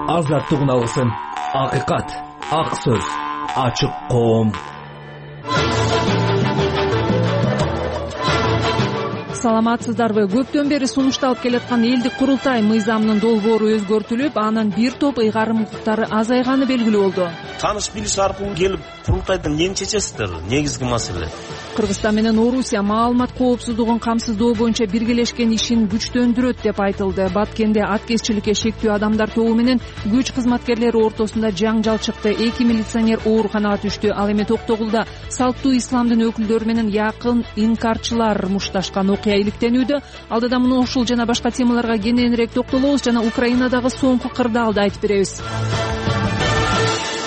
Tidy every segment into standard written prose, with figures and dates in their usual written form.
азаттыгын алсын. Акыйкат, ак сөз, ачык коом. Саламатсыздарбы? Көптөн бери сунушталып келаткан элдик курултай мыйзамынын долбоору өзгөртүлүп, анын бир топ ыйгарым укуктары азайганы белгилүү болду. Таныш билиш аркылуу келип курултайдан эмне чечесиздер? Негизги маселе. Кыргызстан менен Орусия маалымат коопсуздугун камсыздоо боюнча биргелешкен ишин күчтөндүрөт деп айтылды. Баткенде аткезчиликке шектүү адамдар тобу менен күч кызматкерлери ортосунда жаңжал чыкты. 2 милиционер ооруканага түштү. Ал эми Токтогулда салттуу исламдын өкүлдөрү менен якын инкарчылар мушташкан окуя иликтенүүдө. Алдыда муну ушул жана башка темаларга кененирээк токтолобуз жана Украинадагы соңку кырдаалды айтып беребиз.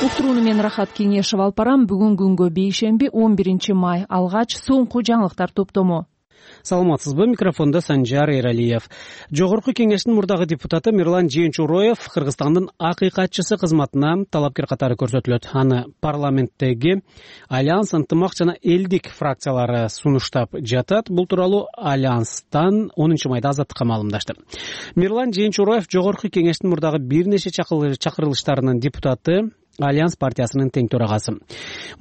Уктурууну мен Рахат Кеңешев алып барам. Бүгүн күнгө бейшемби 11 май. Алгач соңку жаңылыктар топтому. Саламатсызбы? Микрофонда Санжар Эралиев. Жогорку кеңештин мурдагы депутаты Мирлан Жээнчуроев Кыргызстандын акыйкатчысы кызматына талапкер катары көрсөтүлөт. Аны парламенттеги Альянс, ынтымак жана элдик фракциялары сунуштап жатат. Бул тууралуу Альянстан 10 майда Азаттыкка маалымдашты. Мирлан Жээнчуроев жогорку кеңештин мурдагы бир нече чакырылыштарынын депутаты, Альянс партиясынын тең төрагасы.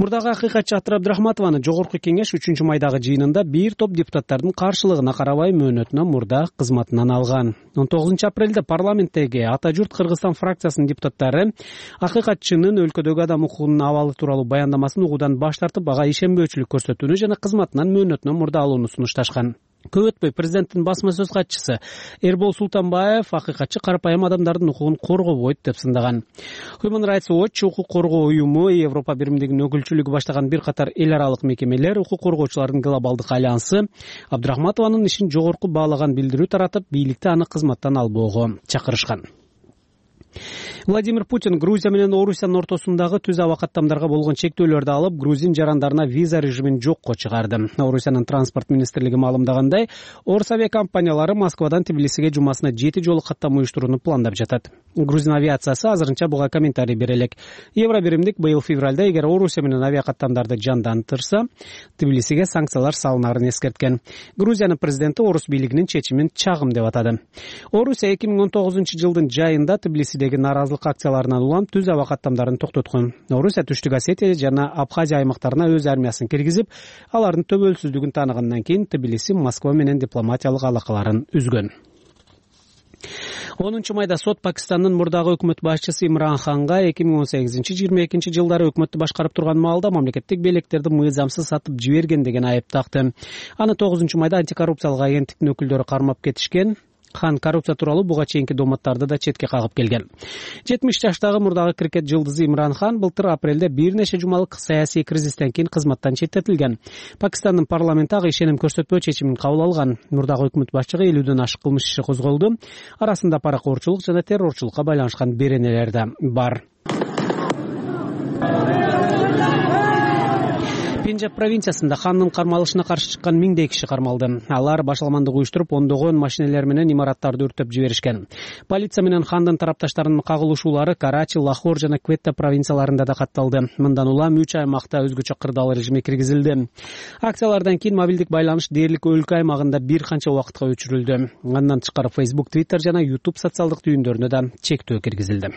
Мурдагы акыйкатчы Атыр Абдрахматованы жогорку кеңеш 3 майдагы жыйынында бир топ депутаттардын каршылыгына карабай мөөнөтүнөн мурда кызматынан алган. 19 апрелде парламенттеги Ата журт Кыргызстан фракциясынын депутаттары акыйкатчынын өлкөдөгү адам укугунун абалы тууралуу баяндамасын угуудан баш тартып, ага ишенбөөчүлүк көрсөтүүнү жана кызматынан мөөнөтүнөн мурда алууну сунушташкан. Көп өтпөй президенттин басма сөз катчысы Эрбол Султанбаев акыйкатчы карапайым адамдардын укугун коргобойт деп сындаган. Human Rights Watch, укук коргоо уюму, Европа биримдигинин өкүлчүлүгү баштаган бир катар эл аралык мекемелер, укук коргоочулардын глобалдык альянсы Абдрахматованын ишин жогорку баалаган билдирүү таратып, бийликти аны кызматтан албоого чакырышкан. Владимир Путин Грузия менен Орусиянын ортосундагы түз аба каттамдарга болгон чектөөлөрдү алып, грузин жарандарына виза режимин жокко чыгарды. Орусиянын транспорт министрлиги маалымдагандай, Орус авиакомпаниялары Москвадан Тбилисиге жумасына 7 жолу каттама уюштурууну пландап жатат. Грузин авиациясы азырынча буга комментарий бере элек. Евро биримдик быйыл февралда эгер Орусия менен авиакаттамдарды жандантырса, Тбилисиге санкциялар салынарын эскерткен. Грузиянын президенти Орус бийлигинин чечимин чагым деп атады. Орусия 2019 жылдын жайында Тбилисидеги наразылык акцияларынан улам түз аба каттамдарын токтоткон. Орусия Түштүк Осетия жана Абхазия аймактарына өз армиясын киргизип, алардын төбөлсүздүгүн тааныгандан кийин Тбилиси Москва менен дипломатиялык алакаларын үзгөн. 10 майда сот Пакистандын мурдагы өкмөт башчысы Имран Ханга 2018-22 жылдары өкмөттү башкарып турган маалда мамлекеттик белектерди мыйзамсыз сатып жиберген деген айып такты. Аны 9 майда антикоррупциялык агенттиктин өкүлдөрү кармап кетишкен. Хан коррупция тууралуу буга чейинки доматтарды да четке кагып келген. 70 жаштагы мурдагы крикет жылдызы Имран Хан былтыр апрелде бир нече жумалык саясий кризистен кийин кызматтан четтетилген. Пакистандын парламенти ага ишеним көрсөтпөө чечимин кабыл алган. Мурдагы өкмөт башчыга 50дөн ашык кылмыш иши козголду. Арасында паракорчулук жана террорчулукка байланышкан беренелер да бар. Пенджаб провинциясында хандын кармалышына каршы чыккан 1000 киши кармалды. Алар башаламандык уюштуруп, ондогон машинелер менен имараттарды өртөп жиберишкен. Полиция менен хандын тарапташтарынын кагылышуулары Карачи, Лахор жана Кветта провинцияларында да катталды. Мындан улам 3 аймакта өзгөчө кырдаал режими киргизилди. Акциялардан кийин мобилдик байланыш дээрлик өлкө аймагында бир канча убакытка өчүрүлдү. Андан тышкары Facebook, Twitter жана YouTube социалдык түйүндөрүнө да чектөө киргизилди.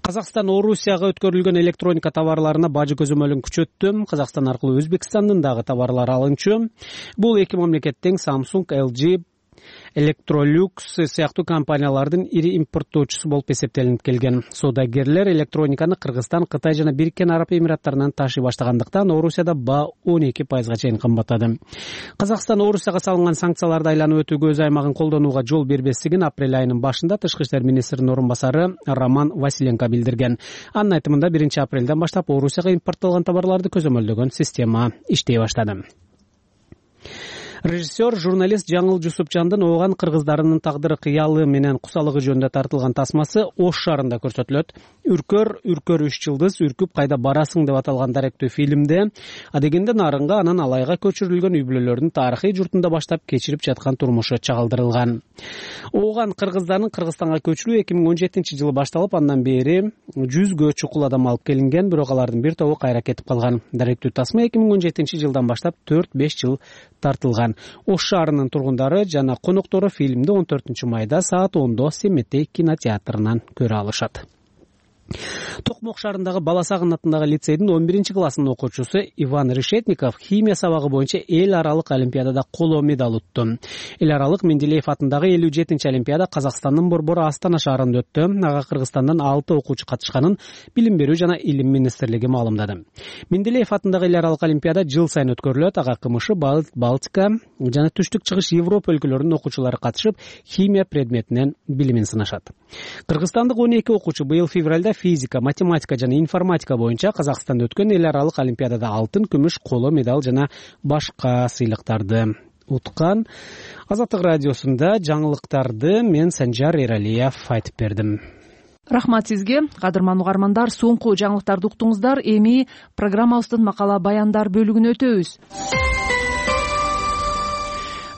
Казакстан Орусияга өткөрүлгөн электроника товарларына бажы көзөмөлүн күчөттү. Казакстан аркылуу Өзбекстандын дагы товарлары алынчу. Бул эки мамлекеттин Samsung, LG, Electrolux сыяктуу компаниялардын ири импорттоочусу болуп эсептелинип келген. Соодагерлер электрониканы Кыргызстан, Кытай жана Бириккен Араб Эмираттарынан ташый баштагандыктан Орусияда баа 12% чейин кымбаттады. Казакстан Орусияга салынган санкцияларды айланып өтүүгө өз аймагын колдонууга жол бербестигин апрель айынын башында Тышкы иштер министринин орун басары Роман Василенко билдирген. Анын айтымында 1 апрелден баштап Орусияга импорттолгон товарларды көзөмөлдөгөн система иштей баштады. Режиссер, журналист Жаңыл Жусупчандын ооган кыргыздарынын тагдыры кыялы менен кусалыгы жөнүндө тартылган тасмасы Ош шаарында көрсөтүлөт. Үркөр 3 жылдыз үркүп кайда барасың деп аталган даректүү фильмде адегенде нарынга анан алайга көчүрүлгөн үй бүлөлөрдүн тарыхый журтунда баштап кечирип жаткан турмушу чагылдырылган. Ооган кыргыздардын Кыргызстанга көчүрүү 2017-жылы башталып, андан бери 100гө чукул адам алып келинген, бирок алардын бир тобу кайра кетип калган. Даректүү тасма 2017-жылдан баштап 4-5 жыл тартылган. Ош шаарынын тургундары жана коноктору фильмди 14-майда саат 10-до Семетей кинотеатрынан көрө алышат. Токмок шаарындагы Баласагын атындагы лицейдин 11-классынын окуучусу Иван Решетников химия сабагы боюнча эл аралык олимпиадада коло медаль утту. Эл аралык Менделеев атындагы 57-олимпиада Казакстандын Борбор Астана шаарында өттү. Ага Кыргызстандан 6 окуучу катышканын Билим берүү жана Илим министрлиги маалымдады. Менделеев атындагы эл аралык олимпиада жыл сайын өткөрүлөт. Ага КМШ, Балтика жана Түштүк Чыгыш Европа өлкөлөрүнүн окуучулары катышып, химия предметинен билимин сынашат. Кыргызстандык 12 окуучу быйыл февралда физика, математика жана информатика боюнча Казакстанда өткөн эл аралык олимпиадада алтын, күмүш, коло медаль жана башка сыйлыктарды уткан. Азаттык радиосунда жаңылыктарды мен Санжар Эралиев айтып бердим. Рахмат сизге, кадырман угармандар. Соңку жаңылыктарды уктуңуздар. Эми программабыздын макала баяндар бөлүгүнө өтөбүз.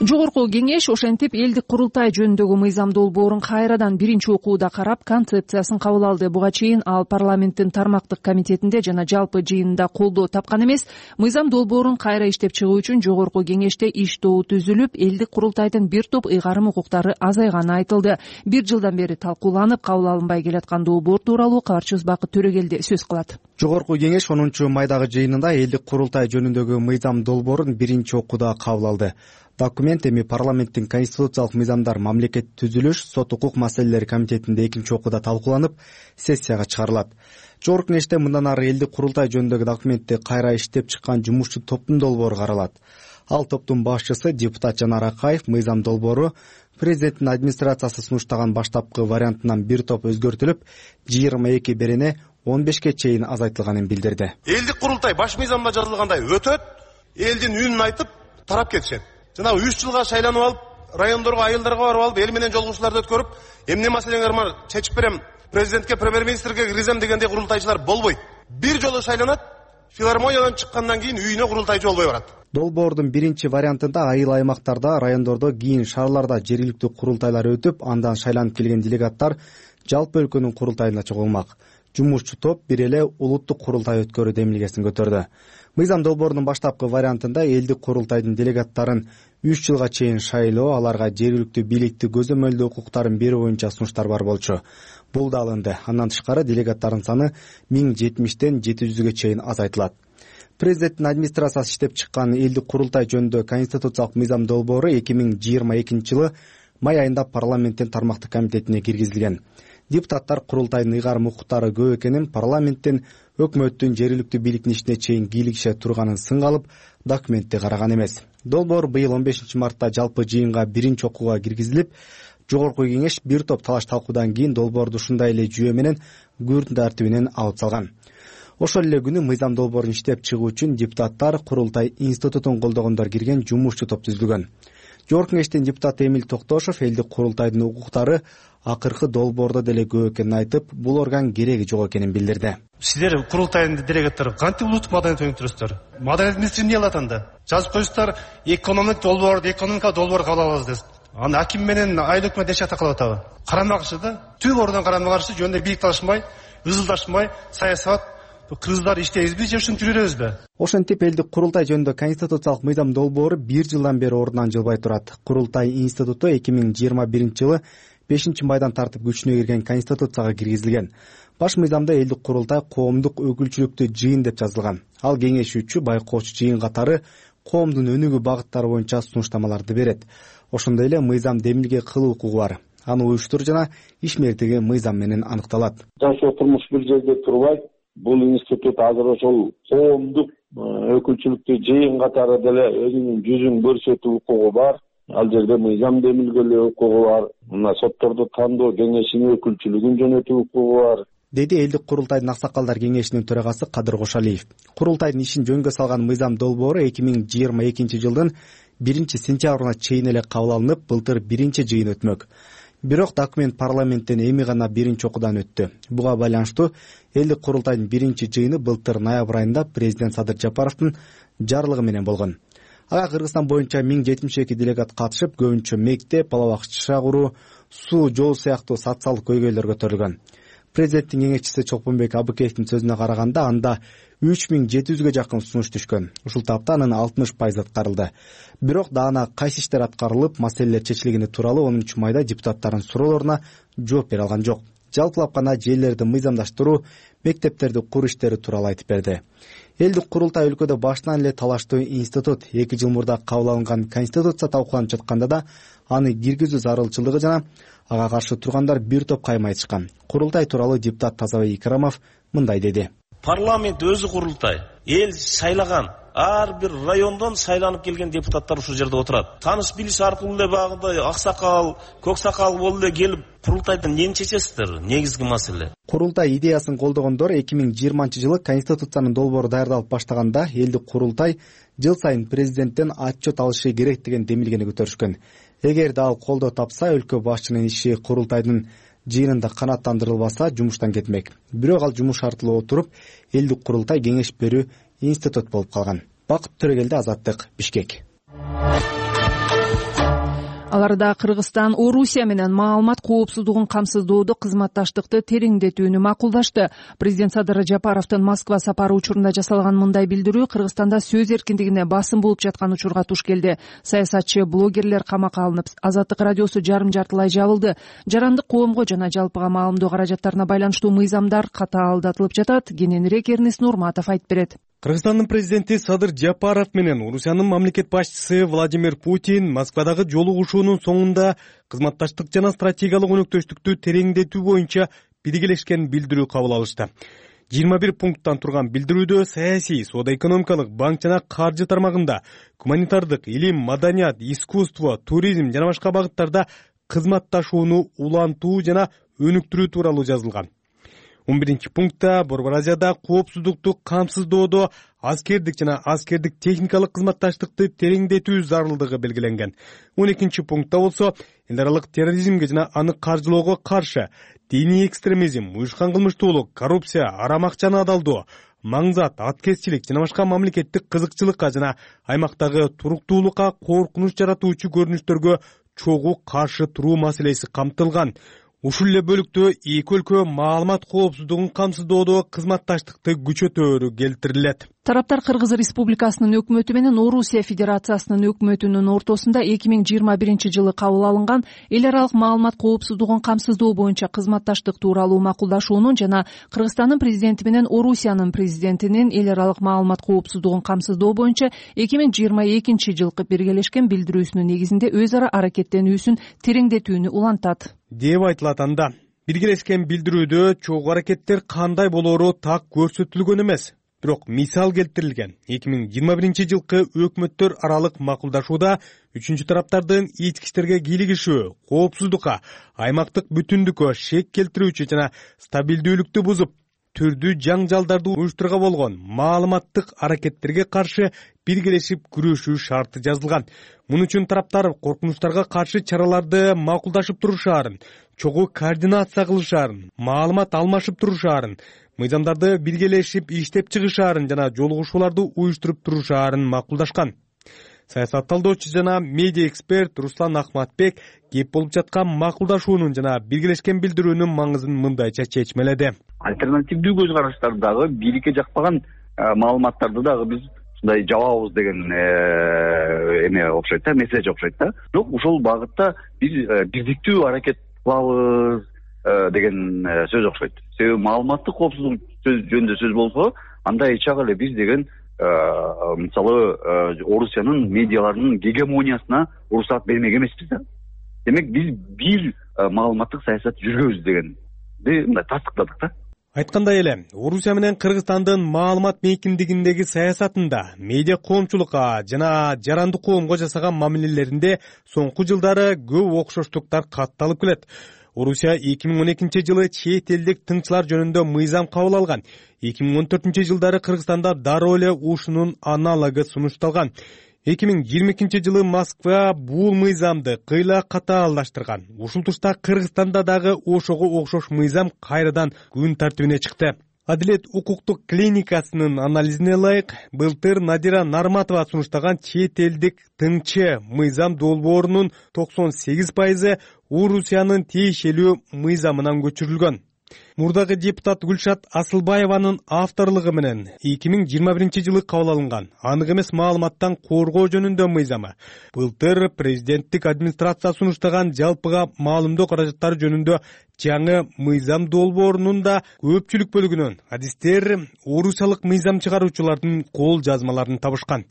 Жогорку кеңеш ошентип элдик курултай жөнүндөгү мыйзам долбоорун кайрадан биринчи окууда карап, концепциясын кабыл алды. Буга чейин ал парламенттин тармактык комитетинде жана жалпы жыйынында колдоо тапкан эмес. Мыйзам долбоорун кайра иштеп чыгуу үчүн жогорку кеңеште иш тобу түзүлүп, элдик курултайдын бир топ ыйгарым укуктары азайганы айтылды. Бир жылдан бери талкууланып, кабыл алынбай келаткан долбоор тууралуу кабарчыбыз Бакыт Төрөгелди сөз кылат. Жогорку кеңеш 10-майдагы жыйынында элдик курултай жөнүндөгү мыйзам долбоорун биринчи окууда кабыл алды. Документ эми парламенттин конституциялык мыйзамдар, мамлекет түзүлүш, сот укук маселелери комитетинде экинчи окууда талкууланып, сессияга чыгарылат. Жогорку кеңеште мындан ары элдик курултай жөнүндөгү документти кайра иштеп чыккан жумушчу топтун долбоору каралат. Ал топтун башчысы депутат Жанар Акаев мыйзам долбоору президенттин администрациясы сунуштаган баштапкы вариантынан бир топ өзгөртүлүп, 22 берене 15ке чейин азайтылганын билдирди. Элдик курултай баш мыйзамда жазылгандай өтөт, элдин үнүн айтып, тарап кетишет. Жана 3 жылга шайланып алып, райондорго, айылдарга барып алып, эл менен жолугушууларды өткөрүп, эмне маселеңер бар, чечип берем, президентке, премьер-министрге киргизем дегендей курултайчылар болбойт. Бир жолу шайланат, филармониядан чыккандан кийин үйүнө курултайчы болбой барат. Долбоордун биринчи вариантында айыл аймактарда, райондордо, кийин шаарларда жергиликтүү курултайлар өтүп, андан шайланып келген делегаттар жалпы өлкөнүн курултайына чогулмак. Жумушчу топ бир эле улуттук курултай өткөрүү демилгесин көтөрдү. Мыйзам долбоорунун баштапкы вариантында элдик курултайдын делегаттарын 3 жылга чейин шайлоо, аларга жергиликтүү бийликти көзөмөлдөө укуктарын берүү боюнча сунуштар бар болчу. Бул да алынды. Андан тышкары делегаттардын саны 1070ден 700ге чейин азайтылат. Президенттин администрациясы иштеп чыккан элдик курултай жөнүндө конституциялык мыйзам долбоору 2022-жылы май айында парламенттин тармактык комитетине киргизилген. Депутаттар курултайдын ыйгарым укуктары көп экенин, парламенттин өкмөттүн жергиликтүү бийликтин ишине чейин кийлигише турганын сынга алып, документти караган эмес. Долбоор быйыл 15-мартта жалпы жыйынга биринчи окууга киргизилип, жогорку кеңеш бир топ талаш талкуудан кийин долбоорду ушундай эле жүйө менен күн тартибинен алып салган. Ошол эле күнү мыйзам долбоорун иштеп чыгуу үчүн депутаттар курултай институтун колдогондор кирген жумушчу топ түзүлгөн. Жогорку кеңештин депутаты Эмил Токтошов элдик курултайдын укуктары акыркы долбоордо деле көп экенин айтып, бул орган кереги жок экенин билдирди. Сиздер курултайдын делегаттары кантип улуттук маданият өнүктүрөсүздөр? Маданият министри эмне кылат анда? Жазып коюңуздар, экономика долбоор кабыл алабыз десиз. Аны аким менен айыл өкмөт эч жакта калып атабы? Карама каршы да, түп ордон карама каршы жөнүндө бийлик талашмай, ызылдашмай, саясат кыргыздар иштейбизби же ушинтип жүрөбүзбү? Ошентип элдик курултай жөнүндө конституциялык мыйзам долбоору 1 жылдан бери ордунан жылбай турат. Курултай институту 2021-жылы 5-майдан тартып күчүнө кирген конституцияга киргизилген. Баш мыйзамда элдик курултай коомдук өкүлчүлүктүү жыйын деп жазылган. Ал кеңешүүчү, байкоочу жыйын катары коомдун өнүгүү багыттары боюнча сунуштамаларды берет. Ошондой эле мыйзам демилге кылуу укугу бар. Аны уюштур жана ишмердиги мыйзам менен аныкталат. Жашоо турмуш бир жерде турбайт. Бул институт азыр ошол коомдук өкүлчүлүктүү жыйын катары деле өзүнүн жүзүн көрсөтүү укугу бар. Ал жерде мыйзам демилгелөө укугу бар. Мына сотторду тандоо кеңешинин өкүлчүлүгүн жөнөтүү укугу бар, деди элдик курултайдын аксакалдар кеңешинин төрагасы Кадыр Кошалиев. Курултайдын ишин жөнгө салган мыйзам долбоору 2022-жылдын 1-сентябрына чейин эле кабыл алынып, былтыр биринчи жыйын өтмөк. Бирок документ парламенттен эми гана биринчи окуудан өттү. Буга байланыштуу элдик курултайдын биринчи жыйыны былтыр ноябрь айында президент Садыр Жапаровдун жарлыгы менен болгон. Ага Кыргызстан боюнча 1072 делегат катышып, көбүнчө мектеп, бала бакча куруу, суу, жол сыяктуу социалдык көйгөйлөр көтөрүлгөн. Президенттин кеңешчиси Чолпонбек Абыкеевдин сөзүнө караганда, анда 3700гө жакын сунуш түшкөн. Ушул тапта анын 60% аткарылды. Бирок даана кайсы иштер аткарылып, маселелер чечилгени тууралуу 10 майда депутаттардын суроолоруна жооп бере алган жок. Жалпылап гана жерлерди мыйзамдаштыруу, мектептерди куруу иштери тууралуу айтып берди. Элдик курултай өлкөдө башынан эле талаштуу институт. 2 жыл мурда кабыл алынган конституция талкууланып жатканда да аны киргизүү зарылчылыгы жана ага каршы тургандар бир топ кайма айтышкан. Курултай тууралуу депутат Тазабек Икрамов мындай деди. Парламент өзү курултай. Эл шайлаган ар бир райондон шайланып келген депутаттар ушул жерде отурат. Таныш билиш аркылуу эле багында аксакал, көк сакал болуп эле келип курултайдан эмне чечесиздер? Негизги маселе. Курултай идеясын колдогондор 2020-жылы конституциянын долбоору даярдалып баштаганда элдик курултай жыл сайын президенттен отчет алышы керек деген демилгени көтөрүшкөн. Эгерде ал колдоо тапса, өлкө башчынын иши курултайдын жыйынында канааттандырылбаса жумуштан кетмек. Бирок ал жумуш шартылуу отуруп, элдик курултай кеңеш берүү институт болуп калган. Бакыт Төрөгелди, Азаттык, Бишкек. Аларда Кыргызстан Орусия менен маалымат коопсуздугун камсыздоодо кызматташтыкты тереңдетүүнү макулдашты. Президент Садыр Жапаровдун Москва сапары учурунда жасалган мындай билдирүү Кыргызстанда сөз эркиндигине басым болуп жаткан учурга туш келди. Саясатчы, блогерлер камакка алынып, Азаттык радиосу жарым-жартылай жабылды. Жарандык коомго жана жалпыга маалымдоо каражаттарына байланыштуу мыйзамдар катаалдатылып жатат. Кененирээк Эрнис Нурматов айтып берет. Кыргызстандын президенти Садыр Жапаров менен Орусиянын мамлекет башчысы Владимир Путин Москвадагы жолугушуунун соңунда кызматташтык жана стратегиялык өнөктөштүктү тереңдетүү боюнча биргелешкен билдирүү кабыл алышты. 21 пункттан турган билдирүүдө саясий, соода-экономикалык, банк жана каржы тармагында, гуманитардык, илим, маданият, искусство, туризм жана башка багыттарда кызматташууну улантуу жана өнүктүрүү тууралуу жазылган. 11 пунктта Борбор Азияда коопсуздукту камсыздоодо аскердик жана аскердик техникалык кызматташтыкты тереңдетүү зарылдыгы белгиленген. 12 пунктта болсо эл аралык терроризмге жана аны каржылоого каршы, диний экстремизм, уюшкан кылмыштуулук, коррупция, арам акчаны адалдоо, маңзат, аткезчилик жана башка мамлекеттик кызыкчылыкка жана аймактагы туруктуулукка коркунуч жаратуучу көрүнүштөргө чогуу каршы туруу маселеси камтылган. Ушул эле бөлүктө эки өлкө маалымат коопсуздугун камсыздоодо кызматташтыкты күчөтөөрү келтирилет. Тараптар Кыргыз Республикасынын өкмөтү менен Орусия Федерациясынын өкмөтүнүн ортосунда 2021-жылы кабыл алынган эл аралык маалымат коопсуздугун камсыздоо боюнча кызматташтык тууралуу макулдашуунун жана Кыргызстандын президенти менен Орусиянын президентинин эл аралык маалымат коопсуздугун камсыздоо боюнча 2022-жылкы биргелешкен билдирүүсүнүн негизинде өз ара аракеттенүүсүн тереңдетүүнү улантат деп айтылат анда. Биргелешкен билдирүүдө чогуу аракеттер кандай болоору так көрсөтүлгөн эмес. Бирок мисал келтирилген. 2021-жылкы өкмөттөр аралык макулдашууда үчүнчү тараптардын ички иштерге кийлигишүү, коопсуздукка, аймактык бүтүндүккө шек келтирүүчү жана стабилдүүлүктү бузуп, түрдүү жаңжалдарды уюштурууга болгон маалыматтык аракеттерге каршы биргелешип күрөшүү шарты жазылган. Муну үчүн тараптар коркунучтарга каршы чараларды макулдашып турушаарын, чогуу координация кылышаарын, маалымат алмашып турушаарын, мыйзамдарды биргелешип иштеп чыгышаарын жана жолугушууларды уюштуруп турушаарын макулдашкан. Саясат талдоочу жана медиа эксперт Руслан Ахматбек кеп болуп жаткан макулдашуунун жана биргелешкен билдирүүнүн маңызын мындайча чечмеледи. Альтернативдүү көз караштарды дагы бийликке жакпаган маалыматтарды дагы биз ушундай жабабыз деген эме окшойт да, месседж окшойт да. Бирок ушул багытта биз бирдиктүү аракет кылабыз деген сөз окшойт. Себеби маалыматтык коопсуздук жөнүндө сөз болсо, анда эч ак эле биз деген мисалы Орусиянын медиаларынын гегемониясына уруксаат бермек эмеспиз да. Демек биз бир маалыматтык саясат жүргүзөбүз дегенди мындай тастыктадык да. Айткандай эле, Орусия менен Кыргызстандын маалымат мейкиндигиндеги саясатында, медиа коомчулукка жана жарандык коомго жасаган мамилелеринде соңку жылдары көп окшоштуктар катталып келет. Орусия 2012-жылы чет элдик тыңчылар жөнүндө мыйзам кабыл алган. 2014-жылдары Кыргызстанда дароо эле ушунун аналогы сунушталган. 2022-жылы Москва бул мыйзамды кыйла катаалдаштырган. Ушул тушта Кыргызстанда дагы ошого окшош мыйзам кайрадан күн тартибине чыкты. Адилет укуктук клиникасынын анализине ылайык, былтыр Надира Нарматова сунуштаган чет элдик тыңчы мыйзам долбоорунун 98% Орусиянын тиешелүү мыйзамынан көчүрүлгөн. Мурдагы депутат Гүлшат Асылбаеванын авторлугу менен 2021-жылы кабыл алынган анык эмес маалыматтан коргоо жөнүндө мыйзамы былтыр президенттик администрация сунуштаган жалпыга маалымдоо каражаттары жөнүндө жаңы мыйзам долбоорунун да көпчүлүк бөлүгүнөн адистер орусиялык мыйзам чыгаруучулардын кол жазмаларын табышкан.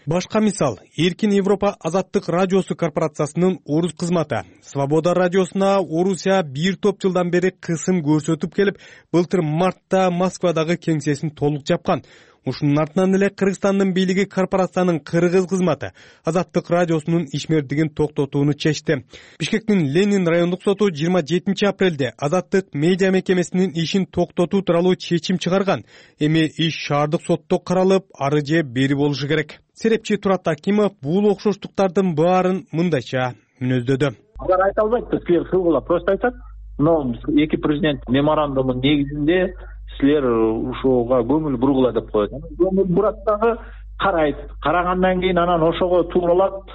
Башка мисал, Эркин Европа Азаттык радиосу корпорациясынын орус кызматы Свобода радиосуна Орусия бир топ жылдан бери кысым көрсөтүп келип, былтыр мартта Москвадагы кеңсесин толук жапкан. Ушунун артынан эле Кыргызстандын бийлиги корпорациянын кыргыз кызматы Азаттык радиосунун ишмердигин токтотууну чечти. Бишкектин Ленин райондук соту 27 апрелде Азаттык медиа мекемесинин ишин токтотуу тууралуу чечим чыгарган. Эми иш шаардык сотто каралып, ары же бери болушу керек. Серепчи Турат Акимов бул окшоштуктардын баарын мындайча мүнөздөдү. Алар айта албайт, силер кылгыла, просто айтат. Но эки президент меморандумунун негизинде силер ушуга көңүл бургула деп коет. Көңүл бурат дагы карайт. Карагандан кийин анан ошого тууралап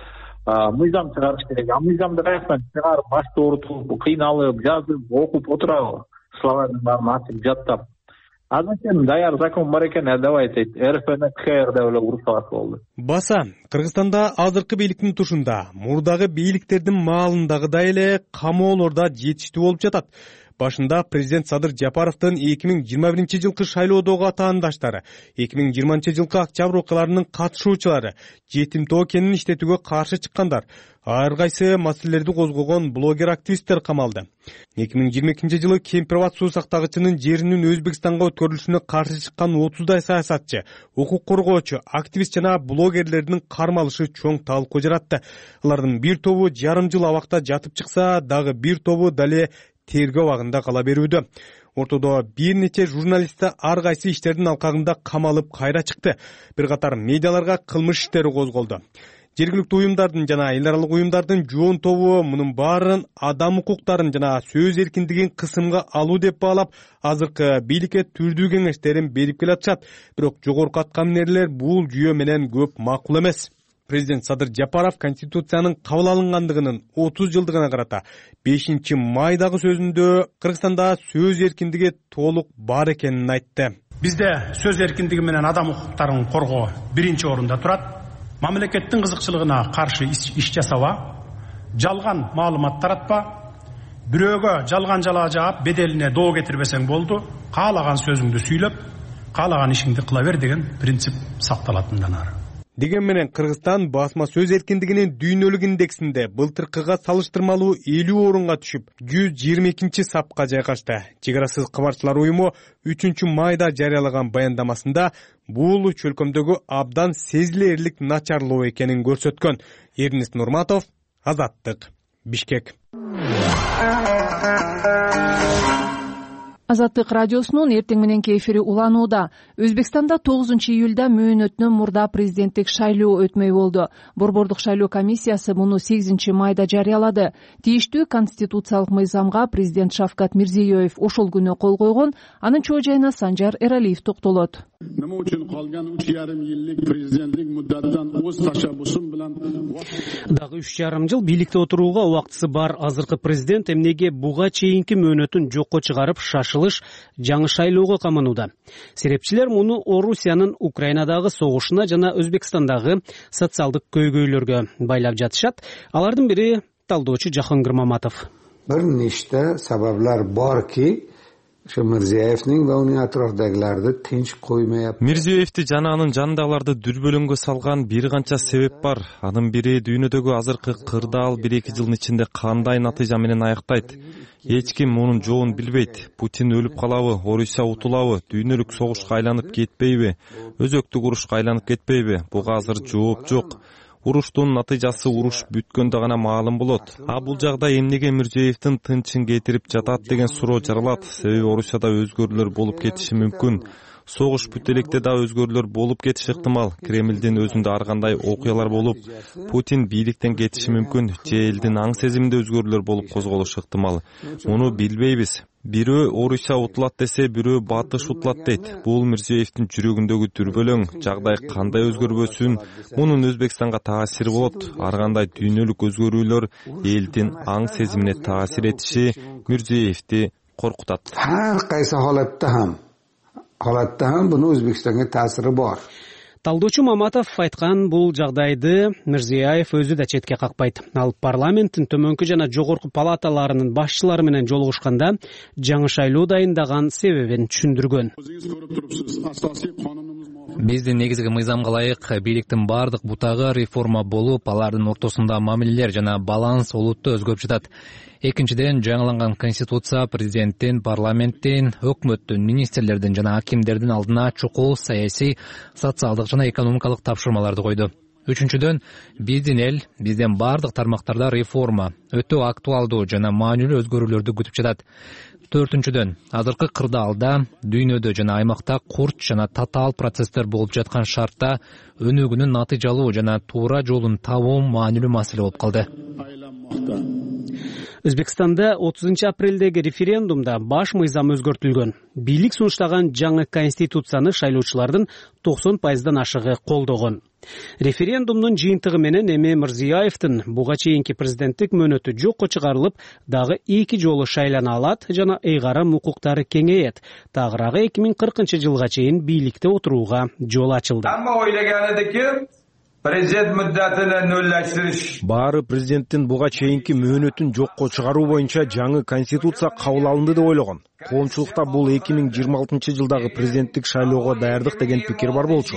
мыйзам чыгарыш керек. Мыйзамды каяктан чыгарып, башты оорутуп, кыйналып, жазып, окуп отурабы? Словардын баарын ачып жаттап. Азыркы даяр закон бар экен, давайте РФны КХР деп эле урушсак болду. Баса, Кыргызстанда азыркы бийликтин тушунда мурдагы бийликтердин маалындагыдай эле камоолордо жетиштүү болуп жатат. Башында президент Садыр Жапаровдун 2021-жылкы шайлоодогу атаандаштары, 2020-жылкы октябрь окуяларынын катышуучулары, жетим тоо кенин иштетүүгө каршы чыккандар, ар кайсы маселелерди козгогон блогер-активисттер камалды. 2022-жылы Кемпирабад суу сактагычынын жеринин Өзбекстанга өткөрүлүшүнө каршы чыккан 30дай саясатчы, укук коргоочу, активист жана блогерлердин кармалышы чоң талкуу жаратты. Алардын бир тобу жарым жыл абакта жатып чыкса, дагы бир тобу дале тергөө абагында кала берүүдө. Ортодо бир нече журналисттер ар кайсы иштердин алкагында камалып кайра чыкты. Бир катар медиаларга кылмыш иштери козголду. Жергиликтүү уюмдардын жана эл аралык уюмдардын жоон тобу мунун баарын адам укуктарын жана сөз эркиндигин кысымга алуу деп баалап, азыркы бийликке түрдүү кеңештерин берип келатышат. Бирок жогорку аткаминерлер бул жүйө менен көп макул эмес. Президент Садыр Жапаров Конституциянын кабыл алынгандыгынын 30 жылдыгына карата 5 майдагы сөзүндө Кыргызстанда сөз эркиндиги толук бар экенин айтты. Бизде сөз эркиндиги менен адам укуктарын коргоо биринчи орунда турат. Мамлекеттин кызыкчылыгына каршы иш жасаба, жалган маалымат таратпа, бирөөгө жалган жалаа жаап, беделине доо кетирбесең болду, каалаган сөзүңдү сүйлөп, каалаган ишиңди кыла бер деген принцип сакталат мындан ары. Деген менен Кыргызстан басма сөз эркиндигинин дүйнөлүк индексинде былтыркыга салыштырмалуу 50 орунга түшүп, 122 сапка жайгашты. Чекарасыз кабарчылар уюму 3 майда жарыялаган баяндамасында бул чөлкөмдөгү абдан сезилерлик начарлоо экенин көрсөткөн. Эрнест Нурматов, Азаттык, Бишкек. Азаттык радиосунун эртең мененки эфири уланууда. Өзбекстанда 9-июлда мөөнөтүнөн мурда президенттик шайлоо өтмөй болду. Борбордук шайлоо комиссиясы муну 8 майда жарыялады. Тийиштүү конституциялык мыйзамга президент Шавкат Мирзиёев ошол күнү кол койгон. Анын чоо жайына Санжар Эралиев токтолот. Nima uchun qolgan 3,5 yillik prezidentlik muddatidan o'z tashabbusim bilan дагы 3,5 жыл бийликте отурууга убактысы бар азыркы президент эмнеге буга чейинки мөөнөтүн жокко чыгарып шашылыш жаңы шайлоого каманууда. Серепчилер муну Орусиянын Украинадагы согушуна жана Өзбекстандагы социалдык көйгөйлөргө байлап жатышат. Алардын бири талдоочу Жаһангир Маматов. Bir nechta sabablar borki, shu Mirziyoyevning va uning atrofdagilarni tinch qo'ymayapti. Mirziyoyevди жана анын жанындагыларды дүрбөлөңгө салган бир канча себеп бар. Анын бири дүйнөдөгү азыркы кырдаал 1-2 жылдын ичинде кандай натыйжа менен аяктайт. Эч ким мунун жоон билбейт. Путин өлүп калабы, Орусия утулабы, дүйнөлүк согушка айланып кетпейби, өзөктүк урушка айланып кетпейби? Буга азыр жооп жок. Уруштун натыйжасы уруш бүткөндө гана маалым болот. А бул жагдай эмнеге Мирзиёевдин тынчын кетирип жатат деген суроо жаралат. Себеби Орусияда өзгөрүүлөр болуп кетиши мүмкүн. Согуш бүт электе да өзгөрүүлөр болуп кетиши ыктымал. Кремлдин өзүндө ар кандай окуялар болуп, Путин бийликтен кетиши мүмкүн, же элдин аң сезиминде өзгөрүүлөр болуп козголушу ыктымал. Муну билбейбиз. Бирөө Орусия утулат десе, бирөө Батыш утулат дейт. Бул Мирзиеевдин жүрөгүндөгү дүрбөлөң. Жагдай кандай өзгөрбөсүн, мунун Өзбекстанга таасири болот. Ар кандай дүйнөлүк өзгөрүүлөр элдин аң сезимине таасир этиши Мирзиевди коркутат. Ар кайсы халатта ham bunun Өзбекстанга таасири бар. Талдоочу Маматов айткан бул жагдайды Мирзиеев өзү да четке какпайт. Ал парламенттин төмөнкү жана жогорку палаталарынын башчылары менен жолугушканда жаңы шайлоо дайындаган себебин түшүндүргөн. Биздин негизги мыйзамга ылайык бийликтин бардык бутагы реформа болуп, алардын ортосунда мамилелер жана баланс олуттуу өзгөрүп жатат. Экинчиден, жаңыланган конституция президенттин, парламенттин, өкмөттүн, министрлердин жана акимдердин алдына чукул саясий, социалдык жана экономикалык тапшырмаларды койду. Үчүнчүдөн, биздин бардык тармактарда реформа, өтө актуалдуу жана маанилүү өзгөрүүлөрдү күтүп жатат. Төртүнчүдөн, азыркы кырдаалда, дүйнөдө жана аймакта курч жана татаал процесстер болуп жаткан шартта өнүгүүнүн натыйжалуу жана туура жолун табуу маанилүү маселе болуп калды. Өзбекстанда 30 апрелдеги референдумда баш мыйзам өзгөртүлгөн. Бийлик сунуштаган жаңы конституцияны шайлоочулардын 90% ашыгы колдогон. Референдумдун жыйынтыгы менен эми Мирзиеевдин буга чейинки президенттик мөөнөтү жокко чыгарылып, дагы 2 жолу шайлана алат жана ыйгарым укуктары кеңейет. Тагыраагы 2040-жылга чейин бийликте отурууга жол ачылды. Амма ойлогон эдики президент муддатын нөллөштүрүш. Баары президенттин буга чейинки мөөнөтүн жокко чыгаруу боюнча жаңы конституция кабыл алынды деп ойлогон. Коомчулукта бул 2026-жылдагы президенттик шайлоого даярдык деген пикир бар болчу.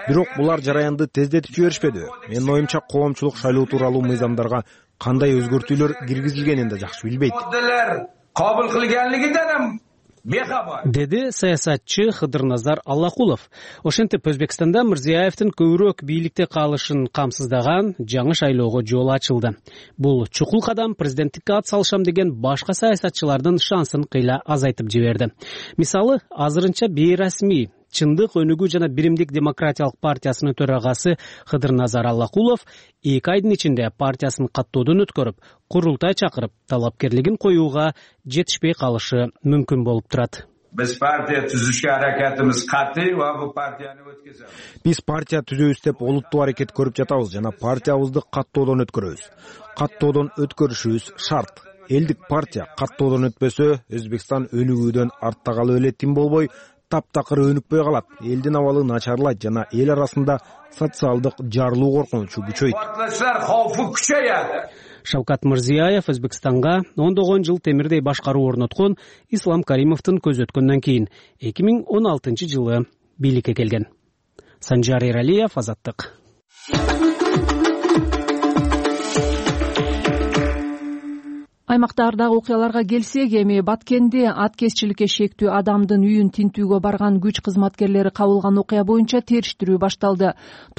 Бирок булар жараянды тездетип жиберишпеди. Менин оюмча коомчулук шайлоо тууралуу мыйзамдарга кандай өзгөртүүлөр киргизилгенин да жакшы билбейт. Кабыл кылганлыгынан деди саясатчы Хыдырназар Аллакулов. Ошентип Өзбекстанда Мирзиеевдин көбүрөөк бийликте калышын камсыздаган жаңы шайлоого жол ачылды. Бул чукул кадам президенттикке ат салышам деген башка саясатчылардын шансын кыйла азайтып жиберди. Мисалы, азырынча бейрасмий Чындык, Өнүгүү жана Биримдик демократиялык партиясынын төрагасы Хыдырназар Аллакулов 2 айдын ичинде партиясын каттоодон өткөрүп, курултай чакырып, талапкерлигин коюуга жетишпей калышы мүмкүн болуп турат. Биз партия түзүшкө аракетибиз катый ва бул партияны өткөзөбүз. Биз партия түзөбүз деп олуттуу аракет көрүп жатабыз жана партиябызды каттоодон өткөрөбүз. Каттоодон өткөрүшүбүз шарт. Элдик партия каттоодон өтпөсө, Өзбекстан өнүгүүдөн артта калып эле тим болбой, таптакыр өнүкпөй калат. Элдин абалы начарлайт жана эл арасында социалдык жарылуу коркунучу күчөйт. Партиялар кауфу күчөйөт. Шавкат Мирзиеев Өзбекстанга ондогон жыл темирдей башкаруу орноткон Ислам Каримовдун көз өткөндөн кийин 2016-жылы бийликке келген. Санжар Эралиев, Азаттык. Аймактардагы окуяларга келсек, эми Баткенде аткезчиликке шектүү адамдын үйүн тинтүүгө барган күч кызматкерлери кабылган окуя боюнча териштирүү башталды.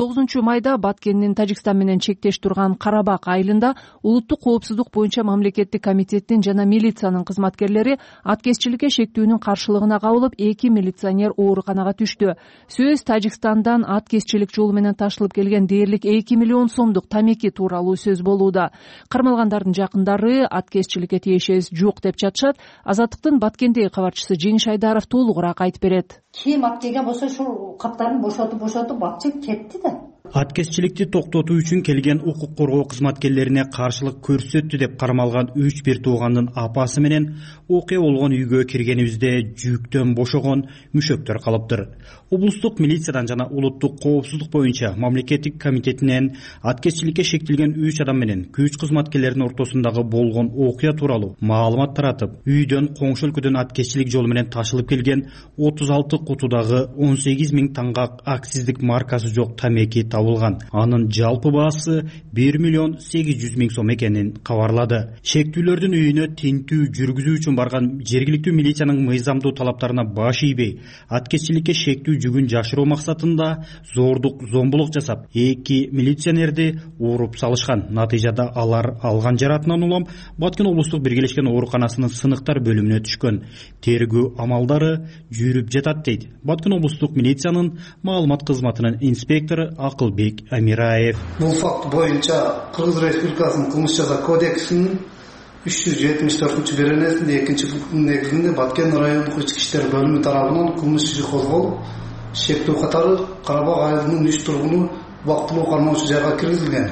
9-майда Баткендин Тажикстан менен чектеш турган Карабак айылында улуттук коопсуздук боюнча мамлекеттик комитеттин жана милициянын кызматкерлери аткезчиликке шектүүнүн каршылыгына кабылып, 2 милиционер ооруканага түштү. Сөз Тажикстандан аткезчилик жолу менен ташылып келген дээрлик 2 миллион сомдук тамеки тууралуу сөз болууда. Кармалгандардын жакындары аткезчиликке тиешеси жок деп жатышат. Азаттыктын Баткендеги кабарчысы Жеңиш Айдаров толугураак айтып берет. Ким ат келген болсо ушул каптарын бошотуп атчы кетти да. Аткезчиликти токтотуу үчүн келген укук коргоо кызматкерлерине каршылык көрсөттү деп кармалган 3-1 туугандын апасы менен окуя болгон үйгө киргенибизде жүктөн бошогон мүшөктөр калыптыр. Облустук милициядан жана улуттук коопсуздук боюнча мамлекеттик комитетинен аткезчиликке шектелген 3 адам менен күч кызматкерлеринин ортосундагы болгон окуя тууралуу маалымат таратып, үйдөн коңшу өлкөдөн аткезчилик жолу менен ташылып келген 36 кутудагы 18 000 таңга акциздик маркасы жок тамеки табылган. Анын жалпы баасы 1,8 миллион сом экенин кабарлады. Шектүүлөрдүн үйүнө тинтүү жүргүзүү үчүн барган жергиликтүү милициянын мыйзамдуу талаптарына баш ийбей, аткезчиликке шектүү жүгүн жашыруу максатында зордук, зомбулук жасап, 2 милиционерди ууруп салышкан. Натыйжада алар алган жаратынан улам Баткен облустук биргелешкен ооруканасынын сыныктар бөлүмүнө түшкөн. Тергөө амалдары жүрүп жатат дейт Баткен облустук милициянын маалымат кызматынын инспектору Акылбек Амираев. Бул факт боюнча Кыргыз Республикасынын кылмыш жаза кодексинин 374-беренесинде 2-пунктунун негизинде Баткен райондук ички иштер бөлүмү тарабынан кылмыш иши козголуп, шектүү катары Карабак айылынын 3 тургуну убактылуу кармоочу жайга киргизилген.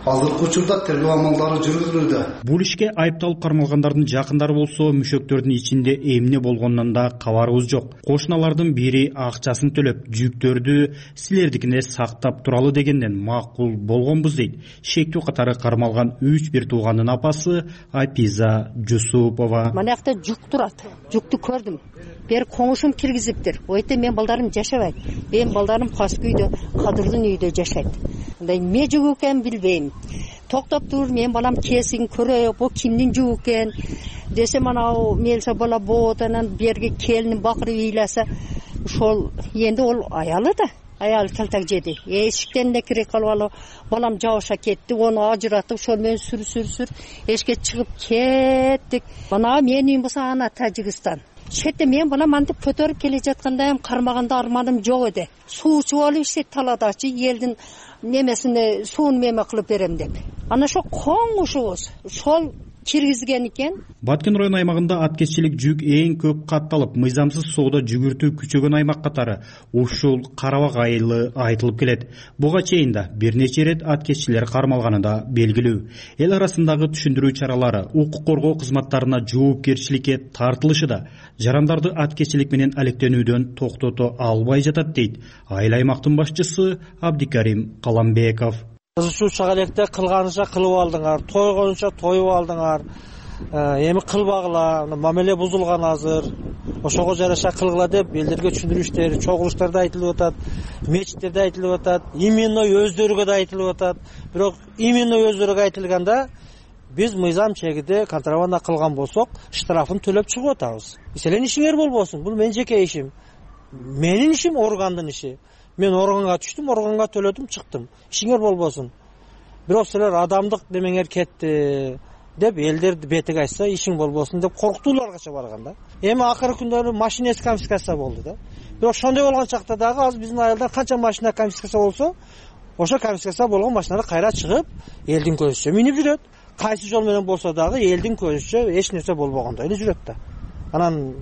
Азыркы учурда тергөө амалдары жүргүзүлүүдө. Бул ишке айыпталып кармалгандардын жакындары болсо, мүшөктөрдүн ичинде эмне болгонунан да кабарыбыз жок. Кошуналардын бири акчасын төлөп, жүктөрдү силердикине сактап туралы дегенден макул болгонбуз дейт. Шектүү катары кармалган 3 бир туугандын апасы Апиза Жусупова. Мына жакта жүк турат. Жүктү көрдүм. Бер коңушум киргизиптир. Ойте мен балдарым жашабайт. Мен балдарым Каскы үйдө, Кадырдын үйдө жашайт. Мындай эмне жүк экенин билбейм. Токтоп тур, мен балам кесин көрөйүк, бул кимдин жүгү экен десем, анау мелса бала боотанан берги келинин бакырып ыйласа, ошол энди ол аялы да. Аял калтак жеди. Эшиктен эле кире калып алып, балам жабыша кетти, ону ажыратып, ошол менен сүр эшикке чыгып кеттик. Мына менин үйүм болсо ана Тажикстан. Шетте мен балам антип көтөрүп келе жаткандайым, кармаганда арманым жок эди. Суу чуп алып иштейт таладачы, элдин немесине суун меме кылып берем деп. Ана ошо коңушубуз ошол киргизген экен. Баткен район аймагында аткезчилик жүк эң көп катталып, мыйзамсыз соода жүгүртүү күчөгөн аймак катары ушул Карабак айылы айтылып келет. Буга чейин да бир нече ирет аткезчилер кармалганы да белгилүү. Эл арасындагы түшүндүрүү чаралары, укук коргоо кызматтарына жоопкерчиликке тартылышы да жарандарды аткезчилик менен алектенүүдөн токтото албай жатат дейт айыл аймактын башчысы Абдикарим Каламбеков. Кызышууча электе кылганыча кылып алдыңар, тойгонуча тоюп алдыңар. Эми кылбагыла, мамиле бузулган азыр. Ошого жараша кылгыла деп элдерге түшүндүрүү иштери, чогулуштарда айтылып атат, мечиттерде айтылып атат, именно өздөрүгө да айтылып атат. Бирок именно өздөрүгө айтылганда биз мыйзам чегиде контрабанда кылган болсок, штрафын төлөп чыгып атабыз. Силердин ишиңер болбосун, бул менин жеке ишим. Менин ишим органдын иши. Мен органга түштүм, органга төлөдүм, чыктым. Ишиңер болбосун. Бирок силер адамдык демеңер кетти деп элдер бетиге айтса, ишиң болбосун деп коркутууларга барганда. Эми акыркы күндөрү машинеси конфискация болду да. Бирок ошондой болгон чакта дагы азыр биздин айылдар канча машина конфискация болсо, ошо конфискация болгон машиналар кайра чыгып, элдин көзүчө минип жүрөт. Кайсы жол менен болсо дагы элдин көзүчө эч нерсе болбогондой эле жүрөт да. Анан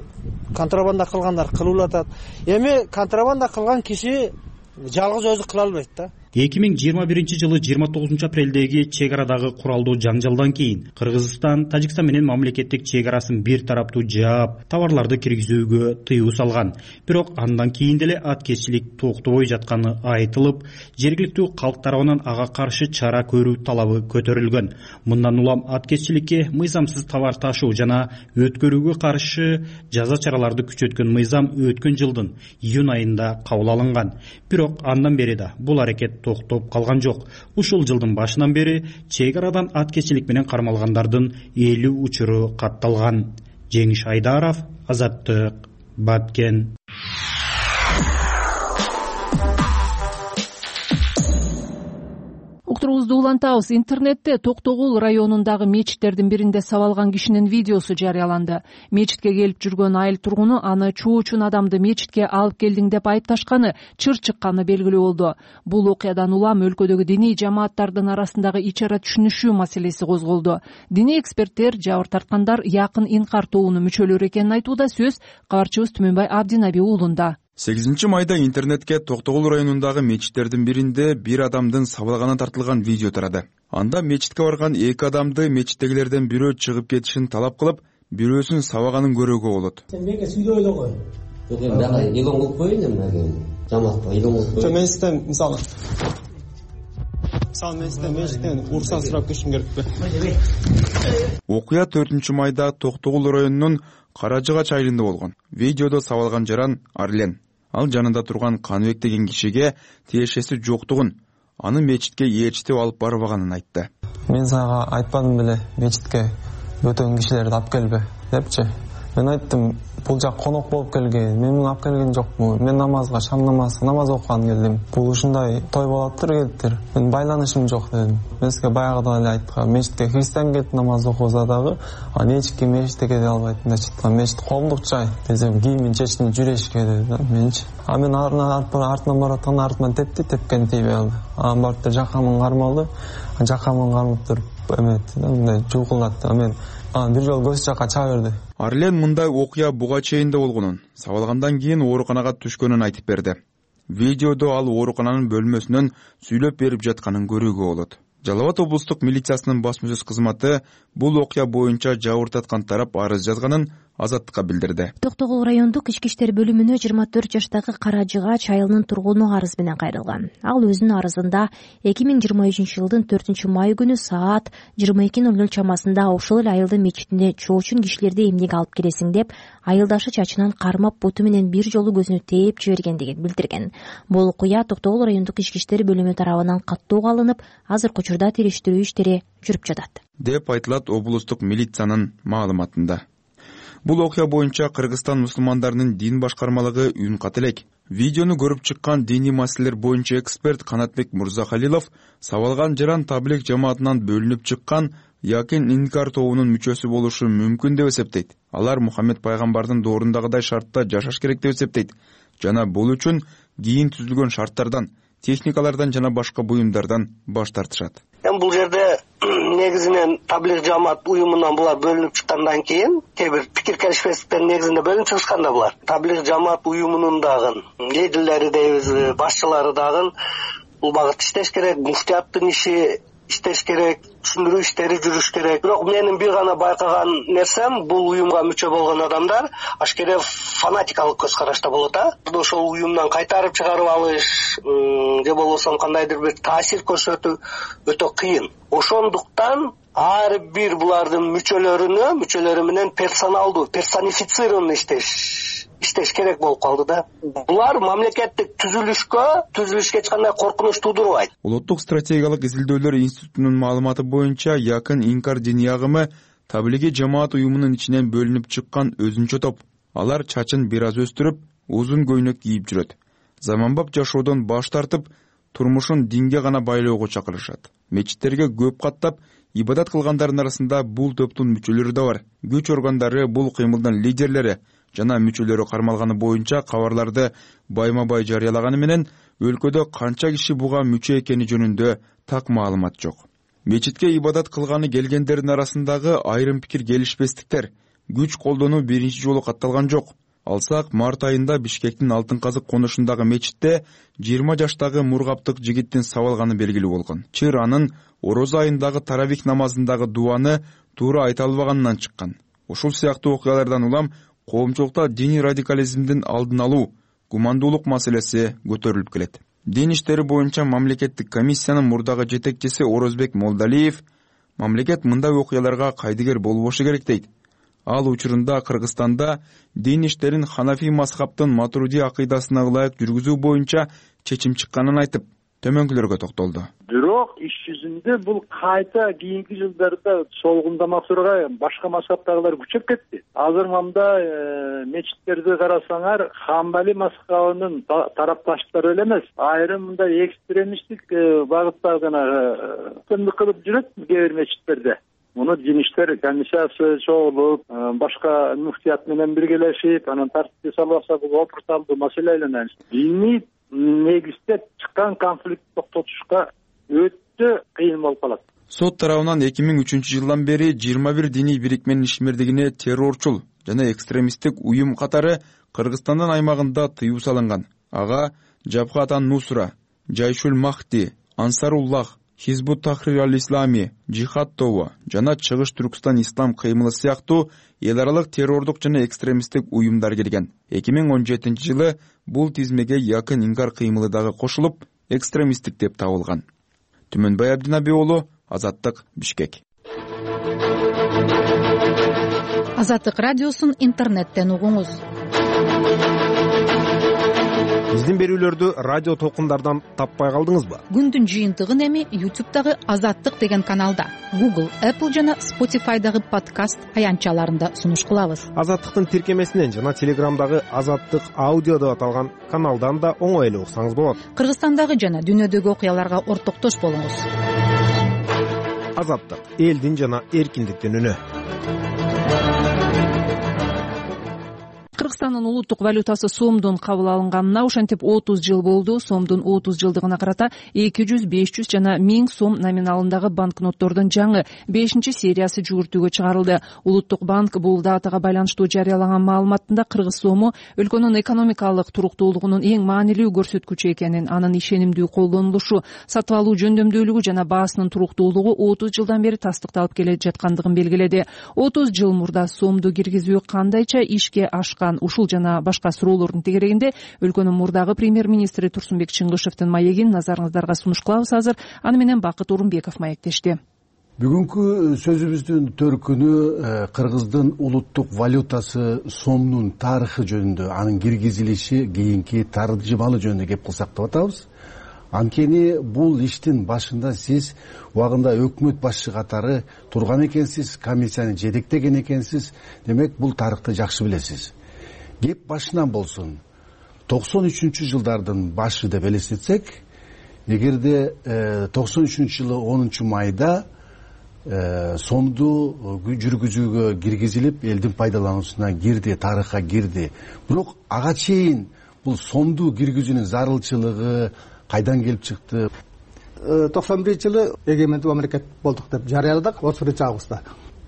контрабанда кылгандар кылып атат. Эми контрабанда кылган киши жалгыз өзү кыла албайт да. 2021-жылы 29-апрелдеги чек арадагы куралдуу жаңжалдан кийин Кыргызстан Тажикстан менен мамлекеттик чек арасын бир тараптуу жаап, товарларды киргизүүгө тыюу салган. Бирок андан кийин деле аткезчилик токтобой жатканы айтылып, жергиликтүү калк тарабынан ага каршы чара көрүү талабы көтөрүлгөн. Мындан улам аткезчиликке мыйзамсыз товар ташуу жана өткөрүүгө каршы жаза чараларды күчөткөн мыйзам өткөн жылдын июнь айында кабыл алынган. Бирок андан бери да бул аракет токтоп калган жок. Ушул жылдын башынан бери чек арадан аткезчилик менен кармалгандардын 50 учуру катталган. Жеңиш Айдаров, Азаттык, Баткен. Уктуруубузду улантабыз. Интернетте Токтогул районундагы мечиттердин биринде сабалган кишинин видеосу жарыяланды. Мечитке келип жүргөн айыл тургуну аны чуучун адамды мечитке алып келдиң деп айыпташканы, чыр чыкканы белгилүү болду. Бул окуядан улам өлкөдөгү диний жамааттардын арасындагы ич ара түшүнүшүү маселеси козголду. Диний эксперттер жабыр тарткандар якын инкар тобунун мүчөлөрү экенин айтууда. Сөз кабарчыбыз Түмөнбай Абдинаби уулунда. 8 майда интернетке Токтогул районундагы мечиттердин биринде бир адамдын сабалганы тартылган видео тарады. Анда мечитке барган 2 адамды мечиттегилерден бирөө чыгып кетишин талап кылып, бирөөсүн сабаганын көрүүгө болот. Сен мега сүйлөй эле кой. Жок, эми дагы илон кылып коеюн эми. Жамаатка илон кылып коеюн. Мен сизден мисалы мен сизден мечиттен уруксат сурап кетишим керекпи? Окуя 4 майда Токтогул районунун Каражыгач айылында болгон. Видеодо сабалган жаран Арлен. Ал жанында турган Каныбек деген кишиге тиешеси жоктугун, аны мечитке ээрчитип алып барбаганын айтты. Мен сага айтпадым беле мечитке бөтөн кишилерди алып келбе депчи. Мен айттым, бул жак конок болуп келген, мен муну алып келген жокмун. Мен намазга, шам намаз окуган келдим. Бул ушундай той болоптур келиптир. Мен байланышым жок дедим. Мен сизге баягыдан эле айткам, мечитке христиан келип намаз окуса дагы, аны эч ким мечитке кете албайт да чыткан. Мечит коомдук жай десем, кийимин чечти жүрөшкө деди менчи. А мен артынан баратканда артынан тепкен тийбей калды. Анан барып жакамын кармалды. Жакамын кармап туруп мындай жуулкулдатты. Мен бир жолу көз жака чыга берди. Арлен мындай окуя буга чейин да болгонун, сабалгандан кийин ооруканага түшкөнүн айтып берди. Видеодо ал оорукананын бөлмөсүнөн сүйлөп берип жатканын көрүүгө болот. Жалал Абад облустук милициясынын басма сөз кызматы бул окуя боюнча жабыртаткан тарап арыз жазганын Азаттыкка билдирди. Токтогул райондук ички иштер бөлүмүнө 24 жаштагы Кара Жыгач айылынын тургуну арыз менен кайрылган. Ал өзүнүн арызында 2023 жылдын 4 май күнү саат 22:00 чамасында ошол эле айылдын мечитине чоочун кишилерди эмнеге алып келесиң деп айылдашы чачынан кармап буту менен бир жолу көзүнө тээп жибергендигин билдирген. Бул окуя Токтогул райондук ички иштер бөлүмү тарабынан каттоого алынып, азыркы учурда териштирүү иштери жүрүп жатат деп айтылат облустук милициянын маалыматында. Бул окуя боюнча Кыргызстан мусулмандарынын дин башкармалыгы үн ката элек. Видеону көрүп чыккан диний маселелер боюнча эксперт Канатбек Мурзахалилов сабалган жаран таблик жамаатынан бөлүнүп чыккан Якин Инкар тобунун мүчөсү болушу мүмкүн деп эсептейт. Алар Мухаммед пайгамбардын доорундагыдай шартта жашаш керек деп эсептейт. Жана бул үчүн кийин түзүлгөн шарттардан, техникалардан жана башка буюмдардан баш тартышат. Бул жерде негизинен таблик жамаат уюмунан булар бөлүнүп чыккандан кийин кээ бир пикир келишпестиктер негизинде бөлүнүп чыгышканда булар таблик жамаат уюмунун дагы лидерлери дейбиз, башчылары дагы бул багытта иштеш керек, муфтияттын иши иштеш керек, түшүндүрүү иштери жүрүш керек. Бирок менин бир гана байкаган нерсем, бул уюмга мүчө болгон адамдар ашкере фанатикалык көз карашта болот. Ошол уюмдан кайтарып чыгарып алыш же болбосо кандайдыр бир таасир көрсөтүү өтө кыйын. Ошондуктан ар бир булардын мүчөлөрү менен персоналдуу, персонифицированный иштеш керек болуп калды да. Булар мамлекеттик түзүлүшкө эч кандай коркунуч туудурбайт. Улуттук стратегиялык изилдөөлөр институтунун маалыматы боюнча Якын Инкар диний агымы таблиги жамаат уюмунун ичинен бөлүнүп чыккан өзүнчө топ. Алар чачын бир аз өстүрүп, узун көйнөк кийип жүрөт. Заманбап жашоодон баш тартып, турмушун динге гана байлоого чакырышат. Мечиттерге көп каттап ибадат кылгандардын арасында бул топтун мүчөлөрү да бар. Күч органдары бул кыймылдын лидерлери жана мүчөлөрү кармалганы боюнча кабарларды байма-бай жарыялаганы менен өлкөдө канча киши буга мүчө экени жөнүндө так маалымат жок. Мечитке ибадат кылганы келгендердин арасындагы айрым пикир келишпестиктер, күч колдонуу биринчи жолу катталган жок. Алсак, март айында Бишкектин Алтын Казык конушундагы мечитте 20 жаштагы мургаптык жигиттин сабалганы белгилүү болгон. Чыр анын орозо айындагы таравих намазындагы дуаны туура айта албаганынан чыккан. Ушул сыяктуу окуялардан улам коомчулукта диний радикализмдин алдын алуу, гумандуулук маселеси көтөрүлүп келет. Дин иштери боюнча мамлекеттик комиссиянын мурдагы жетекчиси Орозбек Молдалиев мамлекет мындай окуяларга кайдыгер болбошу керек дейт. Ал учурунда Кыргызстанда дин иштерин Ханафи мазхабтын Матруди акыйдасына ылайык жүргүзүү боюнча чечим чыкканын айтып, төмөнкүлөргө токтолду. Бирок иш жүзүндө бул кайта кийинки жылдарда солгундамакчырга башка мазхабтагылар күчөп кетти. Азыр мында мечиттерди карасаңар, Хамбали мазхабынын тарапташтары эле эмес, айрым мындай экстремисттик багыттагы кылып жүрөт кээ бир мечиттерде. Муну дин иштер комиссиясы чогулуп, башка муфтият менен биргелешип, анан тартипке салбаса бул опурталдуу маселе айланат. Диний негизде чыккан конфликти токтотушка өтө кыйын болуп калат. Сот тарабынан 2003 жылдан бери 21 диний бирикменин ишмердигине террорчул жана экстремисттик уюм катары Кыргызстандын аймагында тыюу салынган. Ага Жабхат ан-Нусра, Жайшул Махди, Ансаруллах, Хизбут Тахрир аль-Ислами, Жихад тобу жана Чыгыш Түркстан ислам кыймылы сыяктуу эл аралык террордук жана экстремисттик уюмдар келген. 2017 жылы бул тизмеге Якын Инкар кыймылы дагы кошулуп, экстремисттик деп табылган. Түмөнбай Абдинаби уулу, Азаттык, Бишкек. Азаттык радиосун интернеттен угуңуз. Биздин берүүлөрдү радио толкундардан таппай калдыңызбы? Күндүн жыйынтыгын эми YouTube'дагы Азаттык деген каналда, Google, Apple жана Spotify'дагы подкаст аянтчаларында сунуш кылабыз. Азаттыктын тиркемесинен жана Телеграмдагы Азаттык аудио деп аталган каналдан да оңой эле уксаңыз болот. Кыргызстандагы жана дүйнөдөгү окуяларга ортоктош болуңуз. Азаттык — элдин жана эркиндиктин үнү. Кыргызстандын улуттук валютасы сомдун кабыл алынганына ошентип 30 жыл болду. Сомдун 30 жылдыгына карата 200, 500 жана 1000 сом номиналындагы банкноттордун жаңы 5-сериясы жүгүртүүгө чыгарылды. Улуттук банк бул датага байланыштуу жарыялаган маалыматында кыргыз сому өлкөнүн экономикалык туруктуулугунун эң маанилүү көрсөткүчү экенин, анын ишенимдүү колдонулушу, сатып алуу жөндөмдүүлүгү жана баасынын туруктуулугу 30 жылдан бери тастыкталып келе жаткандыгын белгиледи. 30 жыл мурда сомду киргизүү кандайча ишке ашкан, ушул жана башка суроолордун тегерегинде өлкөнүн мурдагы премьер-министри Турсунбек Чыңгышевдин маегин назарыңыздарга сунуш кылабыз азыр. Аны менен Бакыт Орунбеков маектешти. Бүгүнкү сөзүбүздүн төркүнү кыргыздын улуттук валютасы сомдун тарыхы жөнүндө, анын киргизилиши, кийинки таржымалы жөнүндө кеп кылсак деп атабыз. Анткени бул иштин башында сиз убагында өкмөт башчы катары турган экенсиз, комиссияны жетектеген экенсиз. Демек, бул тарыхты жакшы билесиз. Кеп башынан болсун. 93-жылдардын башы деп элестетсек, эгерде 93-жылы 10-майда сомду жүргүзүүгө киргизилип, элдин пайдалануусуна кирди, тарыхка кирди. Бирок ага чейин бул сомду киргизүүнүн зарылчылыгы кайдан келип чыкты? 91-жылы эгемендүү мамлекет болдук деп жарыяладык 31-августта.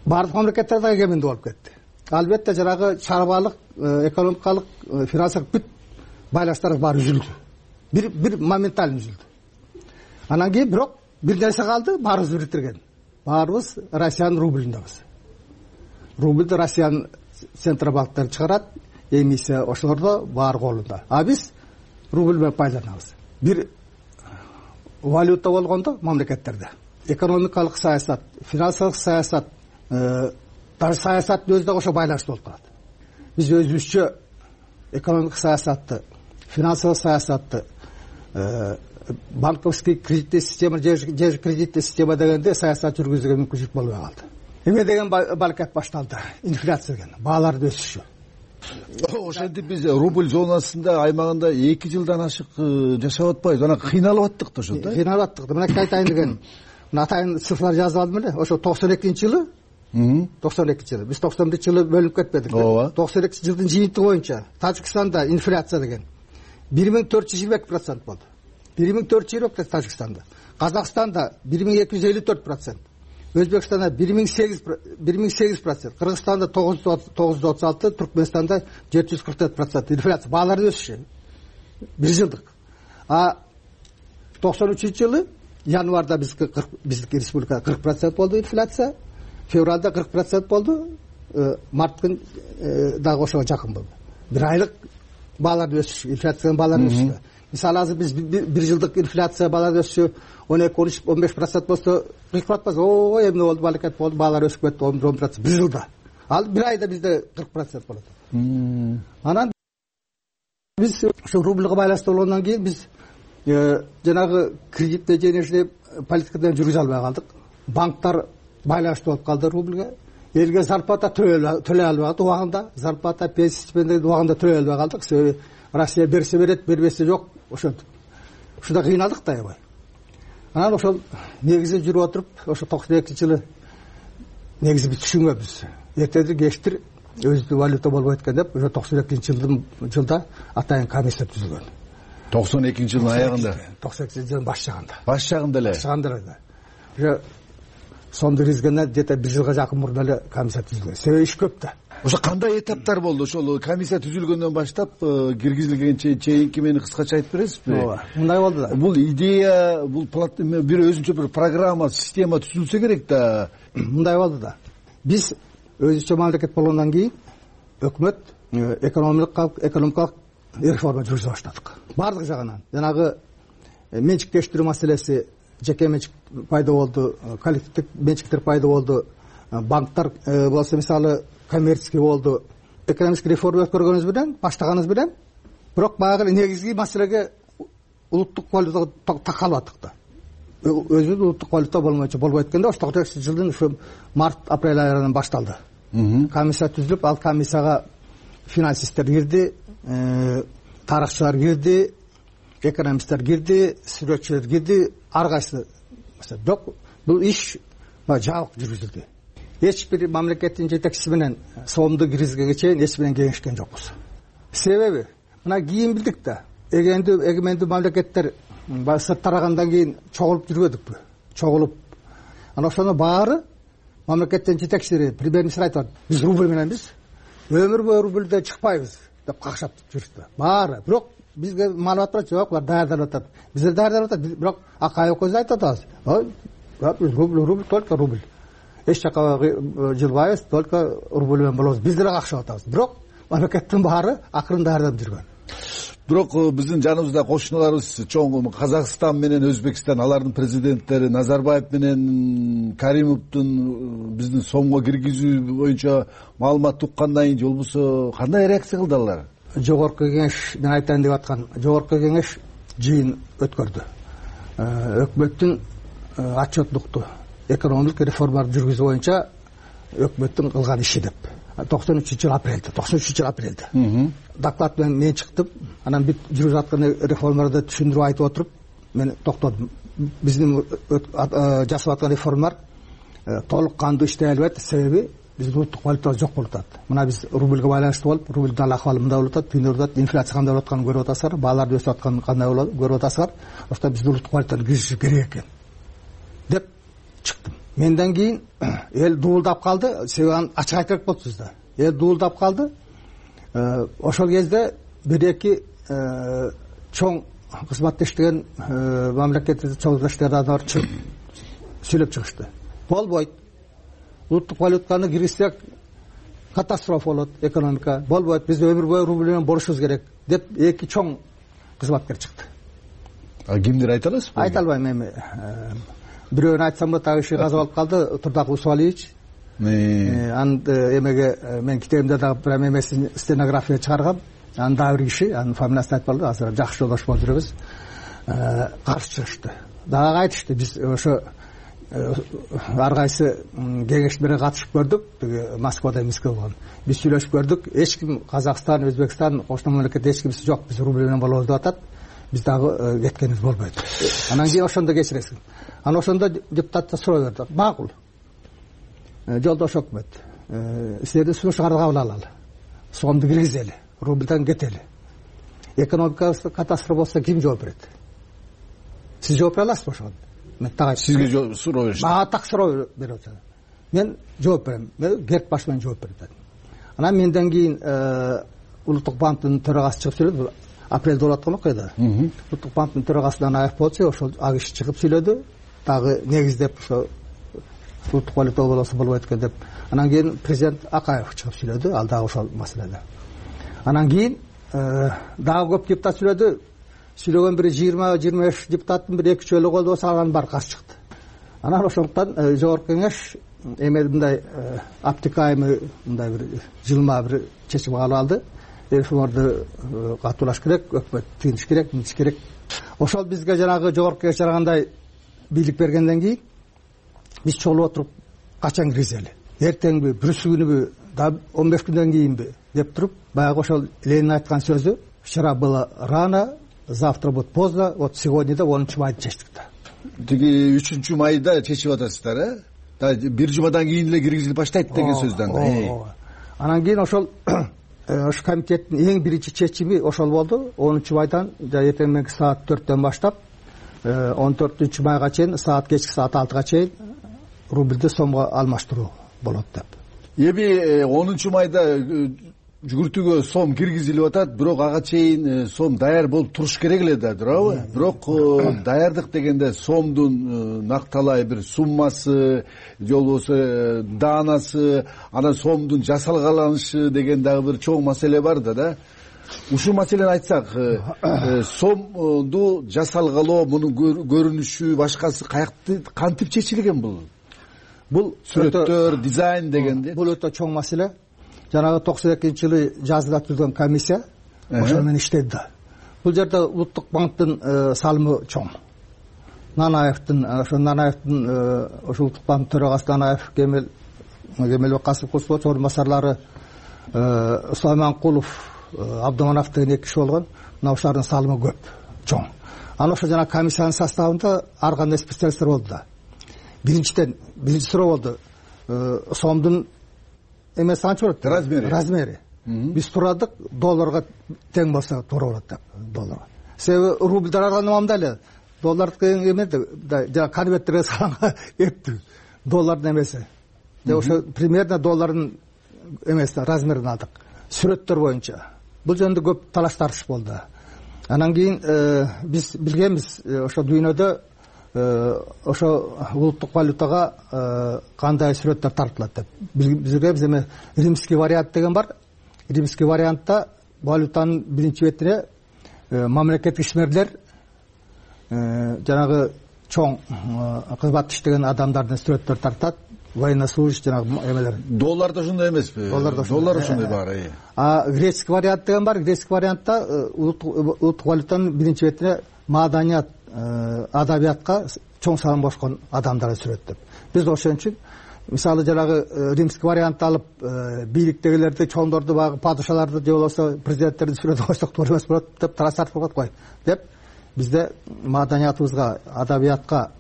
Бардык мамлекеттер да эгемендүү болуп кетти. Албетте жанагы чарбалык, экономикалык, финансылык бүт байланыштар баары үзүлдү. Бир моментально үзүлдү. Анан кийин бирок бир нерсе калды, баарыбыз бириктирген. Баарыбыз Россиянын рубльүндөбүз. Рубльдү Россиянын центробанктары чыгарат, эмиссия ошолордо баары колунда. А биз рубль менен пайдаланабыз. Бир валюта болгондо мамлекеттерде экономикалык саясат, финансылык саясат, даже саясаттын өзү да ошо байланыштуу болуп калат. Биз өзүбүзчө экономикалык саясатты, финансылык саясатты, банковский кредиттик система же кредиттик система дегенде саясат жүргүзүүгө мүмкүнчүлүк болбой калды. Эме деген балкет башталды? Инфляция деген, баалардын өсүшү. Ошентип биз рубль зонасында аймагында 2 жылдан ашык жашап атпайбыз. Анан кыйналып аттык да ошо да. Кыйналып аттык. Мына айтайын деген. Мына атайын цифрлар жазып алдым эле. Ошо 92-жылы 92-жылы. Биз 91-жылы бөлүнүп кетпедик. 92-жылдын жыйынтыгы боюнча Тажикстанда инфляция деген 1422% болду. 1422 Тажикстанда. Казакстанда 1254%. Өзбекстанда 1008%, Кыргызстанда 936, Түркмөнстанда 744% инфляция. Баалардын өсүшү. Бир жылдык. А 93-жылы январда биздики республика 40% болду инфляция, февралда 40% болду, марттын дагы ошого жакын болду. Бир айлык баалардын өсүшү, инфляциянын баалардын өсүшү. Мисалы азыр биз бир жылдык инфляция баалардын өсүшү 12-15% болсо кыйкып атпайбыз. Ой, эмне болду, балекет болду, баалар өсүп кетти 10% бир жылда. Ал бир айда бизде 40% болот. Анан биз ошо рубльга байланыштуу болгондон кийин биз жанагы кредитный денежный политикадан жүргүзө албай калдык. Банктар байланыштуу болуп калды рубльге. Элге зарплата төлөй албай калдык убагында. Зарплата, пенсия, стипендия убагында төлөй албай калдык. Себеби Россия берсе берет, бербесе жок. Ошентип. Ушунда кыйналдык да аябай. Анан ошол негизи жүрүп отуруп, ошо 92-жылы негизи биз түшүнбөбүз. Эртедир кечтир өзүнүн валюта болбойт экен деп, ошо 92-жылда атайын комиссия түзүлгөн. 92-жылдын аягында. 92-жылдын баш жагында. Баш жагында эле. Баш жагында эле. Ошо сомду киргизгенден где-то бир жылга жакын мурда эле комиссия түзүлгөн. Себеби иш көп да. Ошо кандай этаптар болду? Ошол комиссия түзүлгөндөн баштап киргизилгенче чейинки мени кыскача айтып бересизби? Ооба, мындай болду да. Бул идея, бул бир өзүнчө бир программа, система түзүлсө керек да. Мындай болду да. Биз өзүнчө мамлекет болгондон кийин өкмөт экономикалык реформа жүргүзө баштадык. Бардык жагынан. Жанагы менчиктештирүү маселеси, жеке менчик пайда болду, коллективдик менчиктер пайда болду, банктар болсо мисалы коммерческий болду. Экономический реформа өткөргөнүбүз менен, баштаганыбыз менен бирок баягы негизги маселеге улуттук валютага такалып аттык да. Өзүбүз улуттук валюта болбойт экенде, ошо 98-жылдын ушу март-апрель айынан башталды. Комиссия түзүлүп, ал комиссияга финансисттер кирди, тарыхчылар кирди, экономисттер кирди, сүрөтчүлөр кирди, ар кайсы. Бирок бул иш жабык жүргүзүлдү. Эч бир мамлекеттин жетекчиси менен сомду киргизгенге чейин эч менен кеңешкен жокпуз. Себеби мына кийин билдик да, эгемендүү мамлекеттер сырт тарагандан кийин чогулуп жүрбөдүкпү? Чогулуп. Анан ошону баары мамлекеттин жетекчилери, премьер-министр айтат, биз рубль мененбиз, өмүр бою рубльден чыкпайбыз деп какшап жүрүштү. Баары. Бирок бизге маалымат бар, жок, булар даярдалып атат. Биздер даярдалып атат. Бирок Акаев көз айтып атабыз. Рубль, только рубль. Эч жака жылбайбыз, только рубль менен болобуз. Биздер какшап атабыз. Бирок мамлекеттин баары акырын даярданып жүргөн. Бирок биздин жаныбызда кошуналарыбыз чоң Казакстан менен Өзбекстан, алардын президенттери Назарбаев менен Каримовдун биздин сомго киргизүү боюнча маалымат уккандан кийин же болбосо кандай реакция кылды алар? Жогорку кеңеш, мен айтайын деп аткан, жогорку кеңеш жыйын өткөрдү. Өкмөттүн отчетлукту экономикалык реформаларды жүргүзүү боюнча өкмөттүн кылган иши деп. 93 апрелде. Доклад менен мен чыктым. Анан бүт жүрүп жаткан реформаларды түшүндүрүп айтып отуруп, мен токтодум. Биздин жасап аткан реформалар толук кандуу иштей албайт. Себеби биздин улуттук валютабыз жок болуп атат. Мына биз рубльге байланыштуу болуп, рубльдин акыбалы мындай болуп атат, түйүнүп атат, инфляция кандай болуп атканын көрүп атасыздар, баалар өсүп атканын кандай болуп көрүп атасыздар. Ошто биздин улуттук валютаны киргизиш керек экен деп чыктым. Менден кийин эл дуулдап калды, себеби ачык айтып болчубуз да. Эл дуулдап калды. Ошол кезде бир-эки чоң кызматтештеген мамлекеттик чогулуштардан чыгып сүйлөп чыгышты. Болбойт. Улуттук валютаны киргизсек катастрофа болот, экономика. Болбойт. Биз өмүр бою рубль менен болушубуз керек деп эки чоң кызматкер чыкты. Кимдир айта аласызбы? Айта албайм эми. Бирөөнү айтсам да так иши казып алып калды, Турдак Усуалиевич. Анын эмеге мен китебимде дагы прям эмесин стенография чыгаргам. Анын дагы бир киши, анын фамилиясын айтып калды, азыр жакшы жолдош болуп жүрөбүз. Каршы чыгышты. Дагы айтышты, биз ошо ар кайсы кеңештерге катышып көрдүк, Москвада эмеске болгон. Биз сүйлөшүп көрдүк, эч ким Казакстан, Өзбекстан, кошуна мамлекет эч кимси жок, биз рубль менен болобуз деп атат. Биз дагы кеткенибиз болбойт. Анан кийин ошондо кечиресиң. Анан ошондо депутаттар суроо берди. Макул. Жолдош өкмөт, силердин сунуштарыңарды кабыл алалы. Сомду киргизели, рубльдан кетели. Экономикабыз катастрофа болсо ким жооп берет? Сиз жооп бере аласызбы ошого? Мен так айтам. Сизге суроо беришти. Мага так суроо берип атат. Мен жооп берем. Мен керт баш менен жооп берет. Анан менден кийин Улуттук банктын төрагасы чыгып сүйлөдү. Апрелде болуп аткан окуяда. Улуттук банктын төрагасынан Аев болчу, ошол агиш чыгып сүйлөдү. Дагы негиздеп ошо улуттук валюта болсо болбойт экен деп. Анан кийин президент Акаев чыгып сүйлөдү, ал дагы ошол маселеде. Анан кийин дагы көп депутат сүйлөдү. Сүйлөгөн бир 20-25 депутаттын бир 2-3 эле колдобосо алганын баары каршы чыкты. Анан ошондуктан жогорку кеңеш эме мындай аптекайымы мындай бир жылма бир чечим кабыл алды. Реформаларды катуулаш керек, өкмөт тыйыныш керек, мынтиш керек. Ошол бизге жанагы жогорку кеңеш жарагандай бийлик бергенден кийин биз чогулуп отуруп качан киргизели? Эртеңби, бүрүсү күнүбү, да 15 күндөн кийинби деп туруп, баягы ошол Ленин айткан сөзү вчера было рано, завтра будет поздно, вот сегодня да 10 майда чечтик да. Тиги 3 майда чечип атасыздар, э? Да бир жумадан кийин эле киргизилип баштайт деген сөздөн. Анан кийин ошол комитеттин эң биринчи чечими ошол болду. 10 майдан эртең мененки саат 4-төн баштап 14 майга чейин кечки саат 6-га чейин рубльди сомго алмаштыруу болот деп. Эми 10 майда жүгүртүүгө сом киргизилип атат, бирок ага чейин сом даяр болуп туруш керек эле да, туурабы? Бирок даярдык дегенде сомдун накталай бир суммасы, же болбосо даанасы, анан сомдун жасалгаланышы деген дагы бир чоң маселе бар да. Ушул маселени айтсак, сомду жасалгалоо, мунун көрүнүшү, башкасы кантип чечилген бул? Бул сүрөттөр, дизайн дегенде. Бул өтө чоң маселе. Жанагы 92-жылы жазда түзүлгөн комиссия ошол менен иштеди да. Бул жерде улуттук банктын салымы чоң. Нанаевдин ошо улуттук банк төрагасы Нанаев, Кемелбек Касымович орун басарлары Сулайманкулов, Абдыманов деген 2 киши болгон. Мына ошолордун салымы көп, чоң. Анан ошо жана комиссиянын составында ар кандай специалисттер болду да. Биринчи суроо болду. Сомдун эмеси канча болот? Размери. Биз турадык, долларга тең болсо туура болот деп, долларга. Себеби рубльдар арганда мамда эле. Доллардыкы эмеди, жана конверттерге салган эптүү. Доллардын эмеси. Ошо примерно доллардын эмеси размерин алдык. Сүрөттөр боюнча. Бул жөнүндө көп талаш тартыш болду. Анан кийин биз билгенбиз, ошо дүйнөдө ошо улуттук валютага кандай сүрөттөр тартылат деп. Бизге эме римский вариант деген бар. Римский вариантта валютанын биринчи бетине мамлекеттик ишмерлер, жанагы чоң кызмат иштеген адамдардын сүрөттөрү тартат. Военнослужащий жанагы эмелер. Долларда ошондой эмеспи? Доллар ошондой бар. Греческий вариант деген бар. Греческий вариантта улуттук валютанын биринчи бетине маданият, адабиятка чоң салым кошкон адамдарды сүрөттөп. Биз ошон үчүн мисалы жанагы римский вариантты алып бийликтегилерди, чоңдорду, багы падышаларды же болбосо президенттерди сүрөтүп койсок туура эмес болот деп талаш тартып койт деп бизде маданиятыбызга, адабиятка,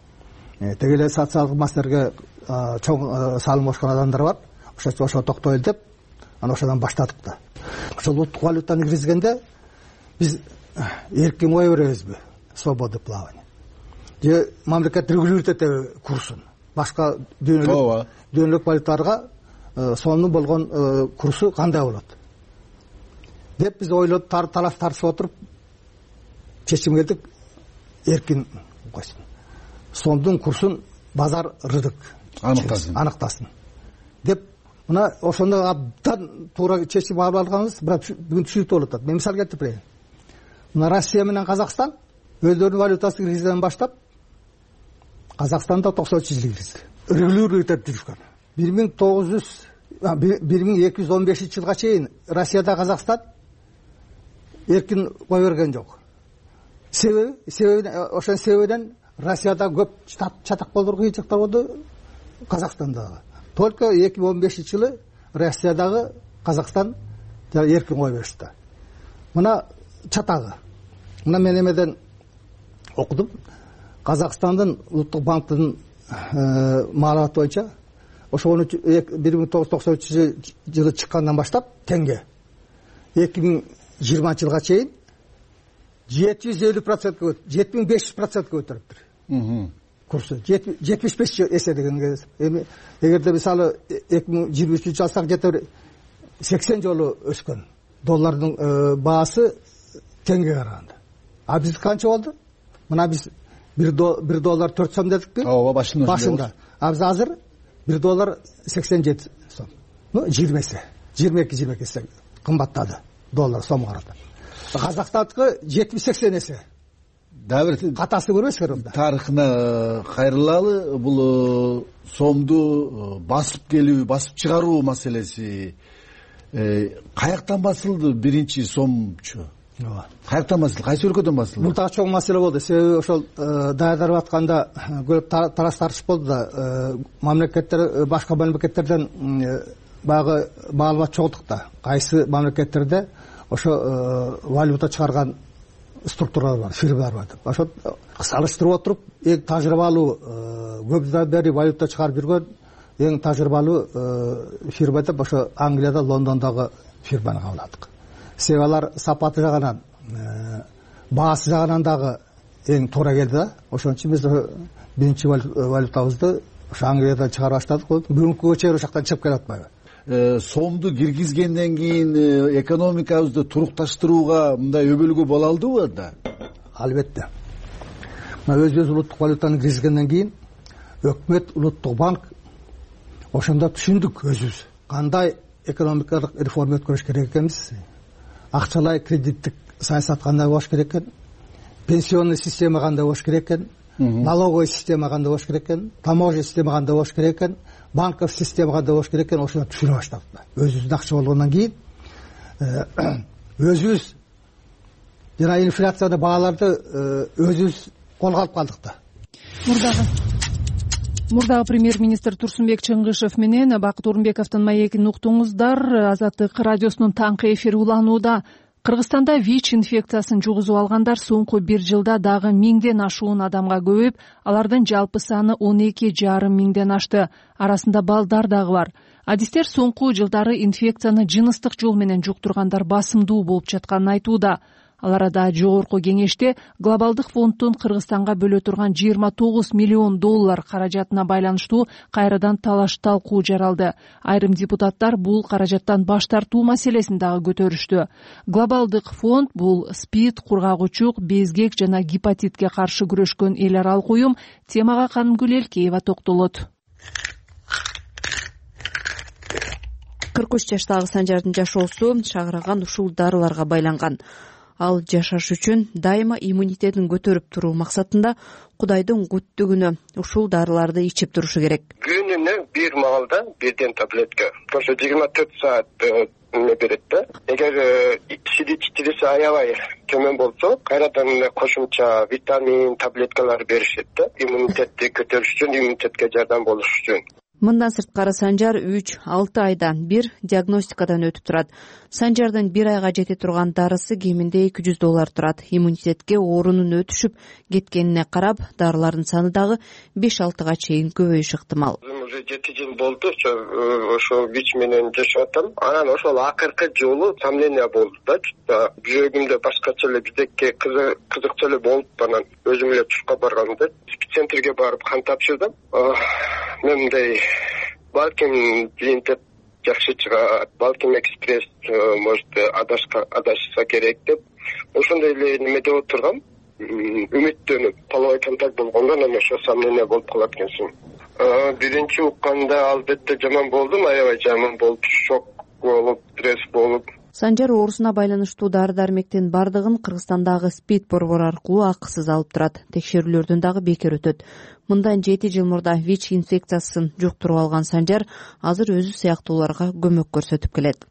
теге эле социалдык маселелерге чоң салым кошкон адамдар бар. Ошо токтойлу деп анан ошодон баштадык да. Ошол улуттук валютаны киргизгенде биз эркин кое беребизби? Свобода плавания. Же мамлекет регулировать этеби курсун? Башка дүйнөлүк валюталарга сомдун болгон курсу кандай болот? Деп биз ойлоп талаш тартышып отуруп чечим келдик, эркин койсун. Сомдун курсун базар рынок аныктасын деп мына ошондо абдан туура чечим алып алганбыз. Бирок бүгүн түшүнүктүү болуп атат. Мен мисал келтирип берейин. Мына Россия менен Казакстан өздөрүнүн валютасын киргизгенден баштап Казакстанда 93-жылы киргизди. Регулировать этип жүрүшкөн. 1215-жылга чейин Россияда Казакстан эркин кое берген жок. Себеби ошон себебинен Россияда көп чатак болду, кыйынчылыктар болду, Казакстанда дагы. Только 2015-жылы Россиядагы Казакстан эркин кое беришти. Мына чатагы. Мына мен эмеден окудум. Казакстандын улуттук банктын маалыматы боюнча ошо 1993-жылы чыккандан баштап теңге 2020-жылга чейин 750%, 7500% көтөрүптүр. Курсу 75 эсе деген. Эгерде мисалы 2023 алсак жетер 80 жолу өскөн. Доллардын баасы теңге караганда. А биз канча болду? Мына биз 1 доллар 4 сом дедикпи? Ооба, башында. А биз азыр 1 доллар 87 сом. 20 эсе, 22 эсе кымбаттады доллар сомго карата. Казакстандыкы 70-80 эсе. Дабир катасы көрөсүңөр онда. Тарыхына кайрылалы, бул сомду басып келүү, басып чыгаруу маселеси каяктан басылды биринчи сомчу? Каяктан басылды? Кайсы өлкөдөн басылды? Бул так чоң маселе болду. Себеби ошол даярдап атканда көп талаш тартыш болду да. Мамлекеттер башка мамлекеттерден багы маалымат чогулдук да. Кайсы мамлекеттерде ошо валюта чыгарган структуралар бар, фирмалар бар деп. Ошо салыштырып отуруп, эң тажрыйбалуу көп жылдан бери валюта чыгарып жүргөн эң тажрыйбалуу фирма деп ошо Англияда, Лондондогу фирманы кабыл Себеби алар сапаты жагынан, баасы жагынан дагы эң туура келди да. Ошон үчүн биз биринчи валютабызды ошо Англиядан чыгара баштадык. Бүгүнкү чейин ошоктон чыгып келе атпайбы? Сомду киргизгенден кийин экономикабызды турукташтырууга мындай өбөлгө боло алдыбы да? Албетте. Өзүбүз улуттук валютаны киргизгенден кийин өкмөт, улуттук банк ошондо түшүндүк өзүбүз кандай экономикалык реформа өткөрүш керек экенбиз. Акчалай кредиттик саясат кандай болуш керек экен, пенсионный система кандай болуш керек экен, налоговый система кандай болуш керек экен, таможня система кандай болуш керек экен, банков система кандай болуш керек экен, ошону түшүнө баштадык. Өзүбүздүн акча болгондон кийин өзүбүз жана инфляцияны бааларды өзүбүз колго алып калдык да. Мурдагы премьер-министр Турсунбек Чыңгышев менен Бакыт Орунбековдун маегин уктуңуздар. Азаттык радиосунун таңкы эфири уланууда. Кыргызстанда ВИЧ инфекциясын жугузуп алгандар соңку 1 жылда дагы 1000ден ашуун адамга көбөйүп, алардын жалпы саны 12,5 миңден ашты. Арасында балдар дагы бар. Адистер соңку жылдары инфекцияны жыныстык жол менен жуктургандар басымдуу болуп жатканын айтууда. Ал арада жогорку кеңеште глобалдык фонддун Кыргызстанга бөлө турган $29 миллион каражатына байланыштуу кайрадан талаш талкуу жаралды. Айрым депутаттар бул каражаттан баш тартуу маселесин дагы көтөрүштү. Глобалдык фонд бул СПИД, кургагучук, безгек жана гепатитке каршы күрөшкөн эл аралык уюм. Темага Канымгүл Элкеева токтолот. 43 жаштагы Санжардын жашоосу шагыраган ушул дарыларга байланган. Ал жашаш үчүн дайыма иммунитетин көтөрүп туруу максатында Кудайдын күттүгүнө ушул дарыларды ичип турушу керек. Күнүнө бир маалда бирден таблетка. Ошо 24 саат берет да. Эгер CD4 аябай төмөн болсо, кайрадан кошумча витамин, таблеткалар беришет да. Иммунитетти көтөрүш үчүн, иммунитетке жардам болуш үчүн. Мындан сырткары Санжар 3-6 айдан бир диагностикадан өтүп турат. Санжардын 1 айга жете турган дарысы кеминде $200 турат. Иммунитетке оорунун өтүшүп кеткенине карап, дарылардын саны дагы 5-6га чейин көбөйүшү ыктымал. Уже 7 жыл болду, ошо ВИЧ менен жашап атам. Анан ошол акыркы жолу сомнение болду да. Жүрөгүмдө башкача эле бизекке кызыкча эле болуп, анан өзүм эле тушка барганда центрге барып кан тапшырдым. Мындай балким жиынтеп жакшы чыгат, балким экспресс может адашса керек деп ошондой эле неме деп отургам, үмүттөнүп половой контакт болгондон анан ошо сомнение болуп калат экенсиң. Биринчи укканда албетте жаман болдум, аябай жаман болуп, шок болуп, стресс болуп. Санжар оорусуна байланыштуу дары-дармектин бардыгын Кыргызстандагы СПИД борбору аркылуу акысыз алып турат. Текшерүүлөрдөн дагы бекер өтөт. Мындан 7 жыл мурда ВИЧ инфекциясын жуктуруп алган Санжар азыр өзү сыяктууларга көмөк көрсөтүп келет.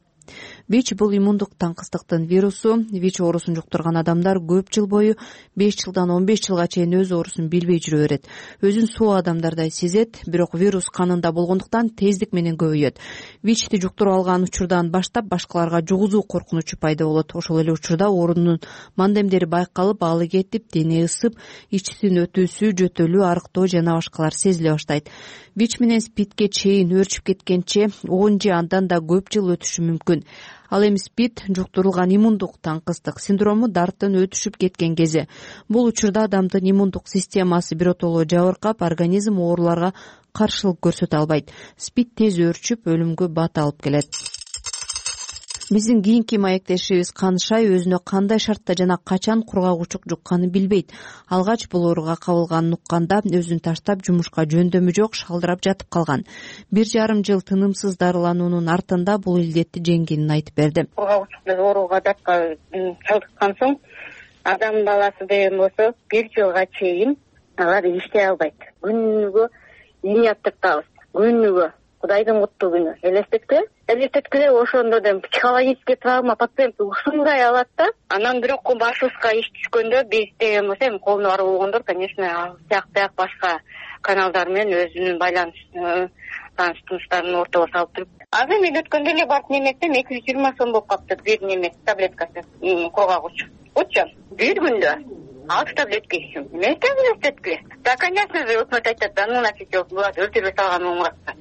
ВИЧ бул иммундук таңкыстыктын вирусу. ВИЧ оорусун жуктурган адамдар көп жыл бою 5 жылдан 15 жылга чейин өз оорусун билбей жүрө берет. Өзүн суу адамдардай сезет, бирок вирус канында болгондуктан тездик менен көбөйөт. ВИЧти жуктуруп алган учурдан баштап башкаларга жугузуу коркунучу пайда болот. Ошол эле учурда оорунун мандемдери байкалып, алы кетип, дене ысып, ичтин өтүүсү, жөтөлүү, арыктоо жана башкалар сезиле баштайт. ВИЧ менен СПИДке чейин өөрчүп кеткенче 10 же андан да көп жыл өтүшү мүмкүн. Ал эми СПИД жуктурулган иммундук таңкыстык синдрому дарттын өтүшүп кеткен кези. Бул учурда адамдын иммундук системасы биротоло жабыркап, организм ооруларга каршылык көрсөтө албайт. СПИД тез өөрчүп, өлүмгө бат алып келет. Биздин кийинки маектешибиз Канышай өзүнө кандай шартта жана качан кургагучук жукканын билбейт. Алгач бул ооруга кабылганын укканда өзүн таштап жумушка жөндөмү жок шалдырап жатып калган. 1,5 жыл тынымсыз дарылануунун артында бул илдетти жеңгенин айтып берди. Кургагучук ооруга датка чалдыккан соң адам баласы деген болсо 1 жылга чейин алар иштей албайт. Күнүгө ийне тартабыз. Күнүгө Кудайдын куттуу күнү. Элестеткиле ошондо да психологический травма пациент ушундай алат да. Анан бирок башыбызга иш түшкөндө биз деген болсо эми колуна барып болгондор, конечно, сыяк башка каналдар менен өзүнүн тааныш тууштарын ортого салып туруп. Азыр мен өткөндө эле барып немесем 220 сом болуп калыптыр бир неме таблеткасы кургагуч. Учун бир күндө 6 таблетка ичсем. Эмне элестеткиле? Да, конечно же, өкмөт айтат, да, өлтүрбөй салган оңуратса.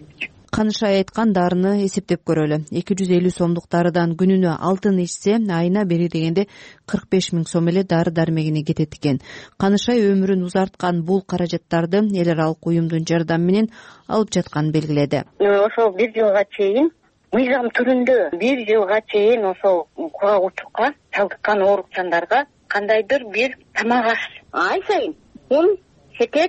Канышай айткан дарыны эсептеп көрөлү. 250 сомдук дарыдан күнүнө 6 ичсе, айына бери дегенде 45 000 сом эле дары-дармегине кетет экен. Канышай өмүрүн узарткан бул каражаттарды эл аралык уюмдун жардамы менен алып жатканын белгиледи. Ошол 1 жылга чейин мыйзам түрүндө 1 жылга чейин ошол кургагучукка чалдыккан оорукчандарга кандайдыр бир тамак аш, ай сайын ун, шекер,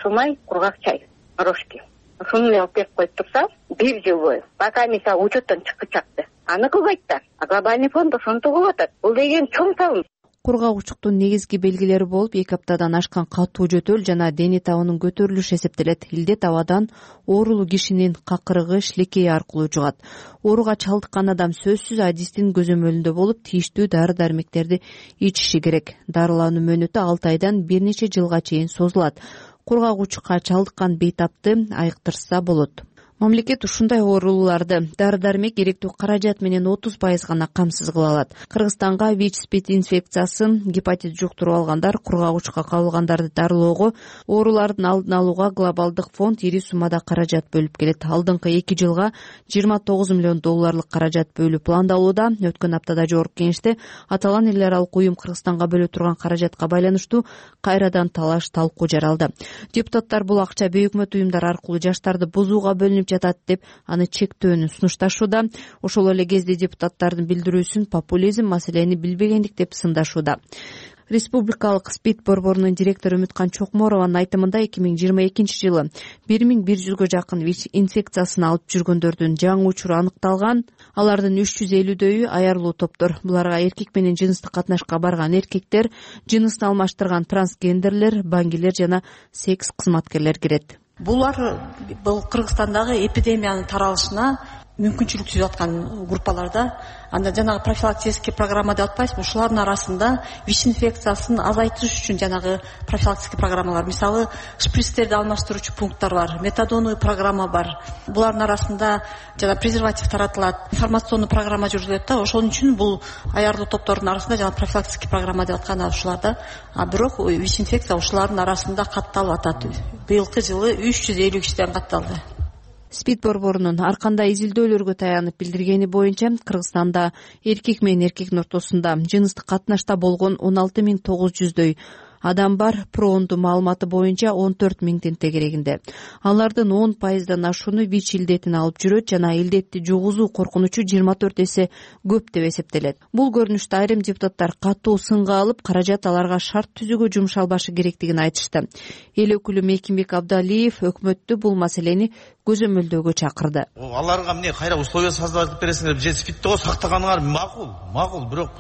сумай, кургак чай, рожки. Ушуну алып берип коюп турса, 1 жыл бою. Пока мисалы учеттон чыккычакты. Аны кылбайт да. Глобальный фонд ошентип кылып атат. Бул деген чоң салым. кургагучтуктун негизги белгилери болуп 2 аптадан ашкан катуу жөтөл жана дене табынын көтөрүлүшү эсептелет. Илдет абадан оорулуу кишинин какырыгы, шилекейи аркылуу жугат. Ооруга чалдыккан адам сөзсүз адистин көзөмөлүндө болуп, тийиштүү дары-дармектерди ичиши керек. Дарылануу мөөнөтү 6 айдан бир нече жылга чейин созулат. Кургагучка чалдыккан бейтапты айыктырса болот. Мамлекет ушундай оорулууларды дары-дармек керектүү каражат менен 30% гана камсыз кыла алат. Кыргызстанга ВИЧ-СПИД инфекциясын, гепатит жуктуруп алгандар, кургагучка кабылгандарды дарылоого, оорулардын алдын алууга глобалдык фонд ири суммада каражат бөлүп келет. Алдыңкы 2 жылга $29 миллион каражат бөлүү пландалууда. Өткөн аптада Жогорку Кеңеште аталган эл аралык уюм Кыргызстанга бөлө турган каражатка байланыштуу кайрадан талаш талкуу жаралды. Депутаттар бул акча бейөкмөт уюмдар аркылуу жаштарды бузууга бөлүнүп жатат деп аны чектөөнү сунушташууда. Ошол эле кезде депутаттардын билдирүүсүн популизм, маселени билбегендик деп сындашууда. Республикалык СПИД борборунун директору Үмүткан Чокморованын айтымында 2022 жылы 1100гө жакын ВИЧ инфекциясын алып жүргөндөрдүн жаңы учуру аныкталган. Алардын 350-дөйү аярлуу топтор. Буларга эркек менен жыныстык катнашка барган эркектер, жынысын алмаштырган трансгендерлер, баңгилер жана секс кызматкерлер кирет. Бул Кыргызстандагы эпидемиянын таралышына мүмкүнчүлүк түзүп аткан группаларда. Анда жанагы профилактический программа деп атпайсызбы, ушулардын арасында ВИЧ инфекциясын азайтыш үчүн жанагы профилактический программалар, мисалы шприцтерди алмаштыруучу пункттар бар, метадоновый программа бар. Булардын арасында жана презерватив таратылат, информационный программа жүргүзүлөт да. Ошон үчүн бул аярлуу топтордун арасында жана профилактический программа деп аткан ушуларда. Бирок ВИЧ инфекция ушулардын арасында катталып атат. Быйылкы жылы 350 кишиден катталды. СПИД борборунун ар кандай изилдөөлөргө таянып билдиргени боюнча Кыргызстанда эркек менен эркектин ортосунда жыныстык катнашта болгон 16900дөй адам бар. Пронду маалыматы боюнча 14000 тегерегинде. Алардын 10%дан ашууну ВИЧ илдетин алып жүрөт жана илдетти жугузуу коркунучу 24 эсе көп деп эсептелет. Бул көрүнүштү айрым депутаттар катуу сынга алып, каражат аларга шарт түзүүгө жумшалбашы керектигин айтышты. Эл өкүлү Мекимбек Абдалиев өкмөттү бул маселени көзөмөлдөөгө чакырды. Аларга эмне кайра условия создавать бересиңер, же СПИДти сактаганыңар макул, бирок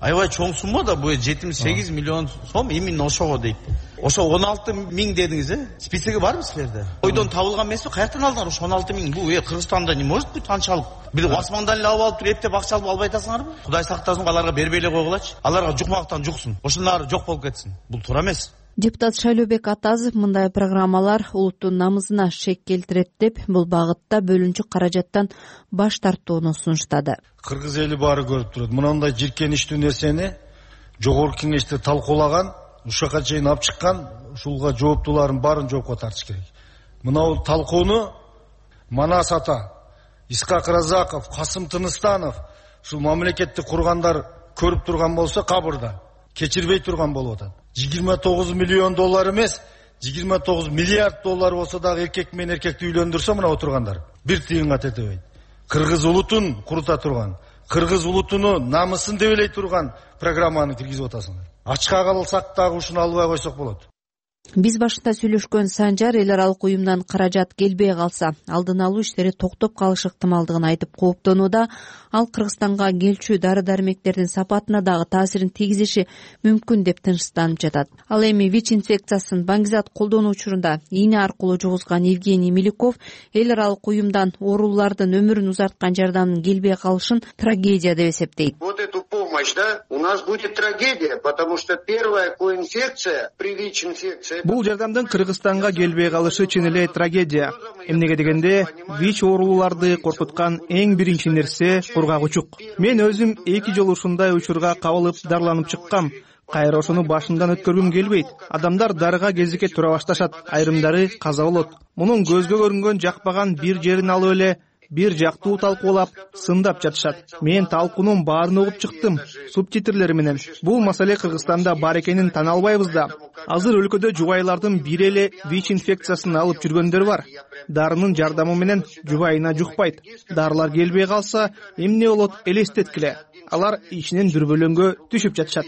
аябай чоң сумма да, бул 78 миллион сом именно ошого дейт. Ошо 16.000 дедиңиз, списоги барбы силерде? Ойдон табылган эмеспи? Каяктан алдыңар ошо 16.000? Бул Кыргызстанда не может быть канчалык? Бир асмандан эле алып туруп эптеп акча алып албай атасыңарбы? Кудай сактасын, аларга бербей эле койгулачы. Аларга жукмактан жуксун. Ошонун жок болуп кетсин. Бул туура эмес. Депутат Шайлообек Атазов мындай программалар улуттун намысына шек келтирет деп, бул багытта бөлүнчү каражаттан баш тартууну сунуштады. Кыргыз эли баары көрүп турат. Мындай жиркеничтүү нерсени Жогорку Кеңеште талкуулаган, ушака чейин алып чыккан, ушулга жооптуулардын баарын жоопко тартыш керек. Мына талкууну Манас ата, Исхак Разаков, Касым Тыныстанов, ушул мамлекетти кургандар көрүп турган болсо, кабырда кечирбей турган болуп атат. $29 миллион эмес, $29 миллиард болсо дагы эркек менен эркекти үйлөндүрсө, мына отургандар бир тыйынга тетебейт. Кыргыз улутун курута турган, кыргыз улутунун намысын дебелей турган программаны киргизип атасыңар. Ачка калсак дагы ушуну албай койсок болот. Биз башында сүйлөшкөн Санжар эл аралык уюмдан каражат келбей калса, алдын алуу иштери токтоп калышы ыктымалдыгын айтып кооптонууда. Ал Кыргызстанга келчү дары-дармектердин сапатына дагы таасирин тийгизиши мүмкүн деп тынчсызданып жатат. Ал эми ВИЧ инфекциясын баңгизат колдонуу учурунда ийне аркылуу жугузган Евгений Милюков эл аралык уюмдан оорулуулардын өмүрүн узарткан жардамдын келбей калышын трагедия деп эсептейт. Вот эту помощь, да, у нас будет трагедия, потому что первая коинфекция при ВИЧ-инфекции. Бул жардамдын Кыргызстанга келбей калышы чын эле трагедия. Эмнеге дегенде, ВИЧ оорулууларды коркуткан эң биринчи нерсе кургагучук. Мен өзүм 2 жолу ушундай учурга кабылып дарыланып чыккам. Кайра ошону башымдан өткөргүм келбейт. Адамдар дарыга кезикке тура башташат, айрымдары каза болот. Мунун көзгө көрүнгөн жакпаган бир жерин алып эле бир жактуу талкуулап, сындап жатышат. Мен талкуунун баарын угуп чыктым, субтитрлери менен. Бул маселе Кыргызстанда бар экенин тана албайбыз да. Азыр өлкөдө жубайлардын бири эле ВИЧ инфекциясын алып жүргөндөр бар. Дарынын жардамы менен жубайына жукпайт. Дарылар келбей калса, эмне болот элестеткиле. Алар ичинен дүрбөлөңгө түшүп жатышат.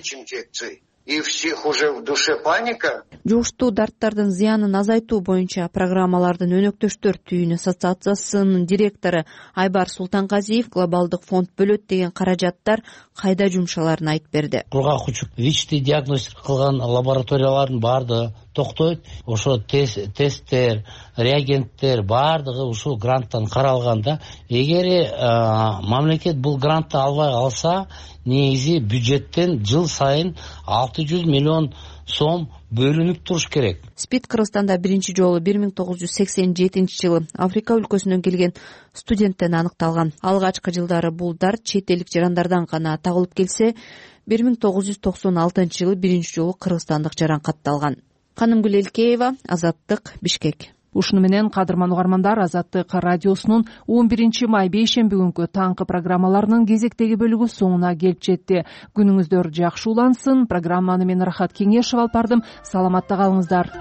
и всех уже в душе паника. Жугуштуу дарттардын зыянын азайтуу боюнча программалардын өнөктөштөр түйүн ассоциациясынын директору Айбар Султанказиев глобалдык фонд бөлөт деген каражаттар кайда жумшаларын айтып берди. Кургак учук ВИЧти диагностика кылган лабораториялардын баардыгы токтойт. Ошо тесттер, реагенттер баардыгы ушул гранттан каралганда, эгер мамлекет бул грантты албай калса, негизи бюджеттен жыл сайын 600 миллион сом бөлүнүп туруш керек. СПИД Кыргызстанда биринчи жолу 1987-жылы Африка өлкөсүнөн келген студенттен аныкталган. Алгачкы жылдары бул дарт чет элдик жарандардан гана табылып келсе, 1996-жылы биринчи жолу кыргызстандык жаран катталган. Канымгүл Элкеева, Азаттык, Бишкек. Ушуну менен кадырман угармандар, Азаттык радиосунун 11 май бейшемби күнкү таңкы программаларынын кезектеги бөлүгү соңуна келип жетти. Күнүңүздөр жакшы улансын. Программаны мен Рахат Кеңешев алып бардым. Саламатта калыңыздар.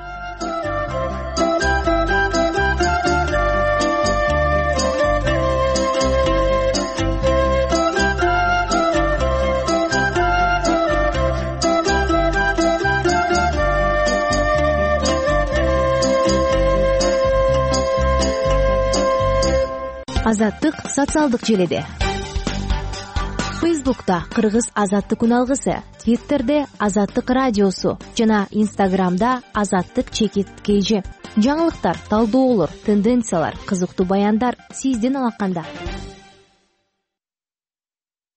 Азаттык социалдык желеде. Фейсбукта Кыргыз Азаттык үналгысы, Твиттерде Азаттык радиосу жана Инстаграмда Азаттык_KG. Жаңылыктар, талдоолор, тенденциялар, кызыктуу баяндар сиздин алаканда.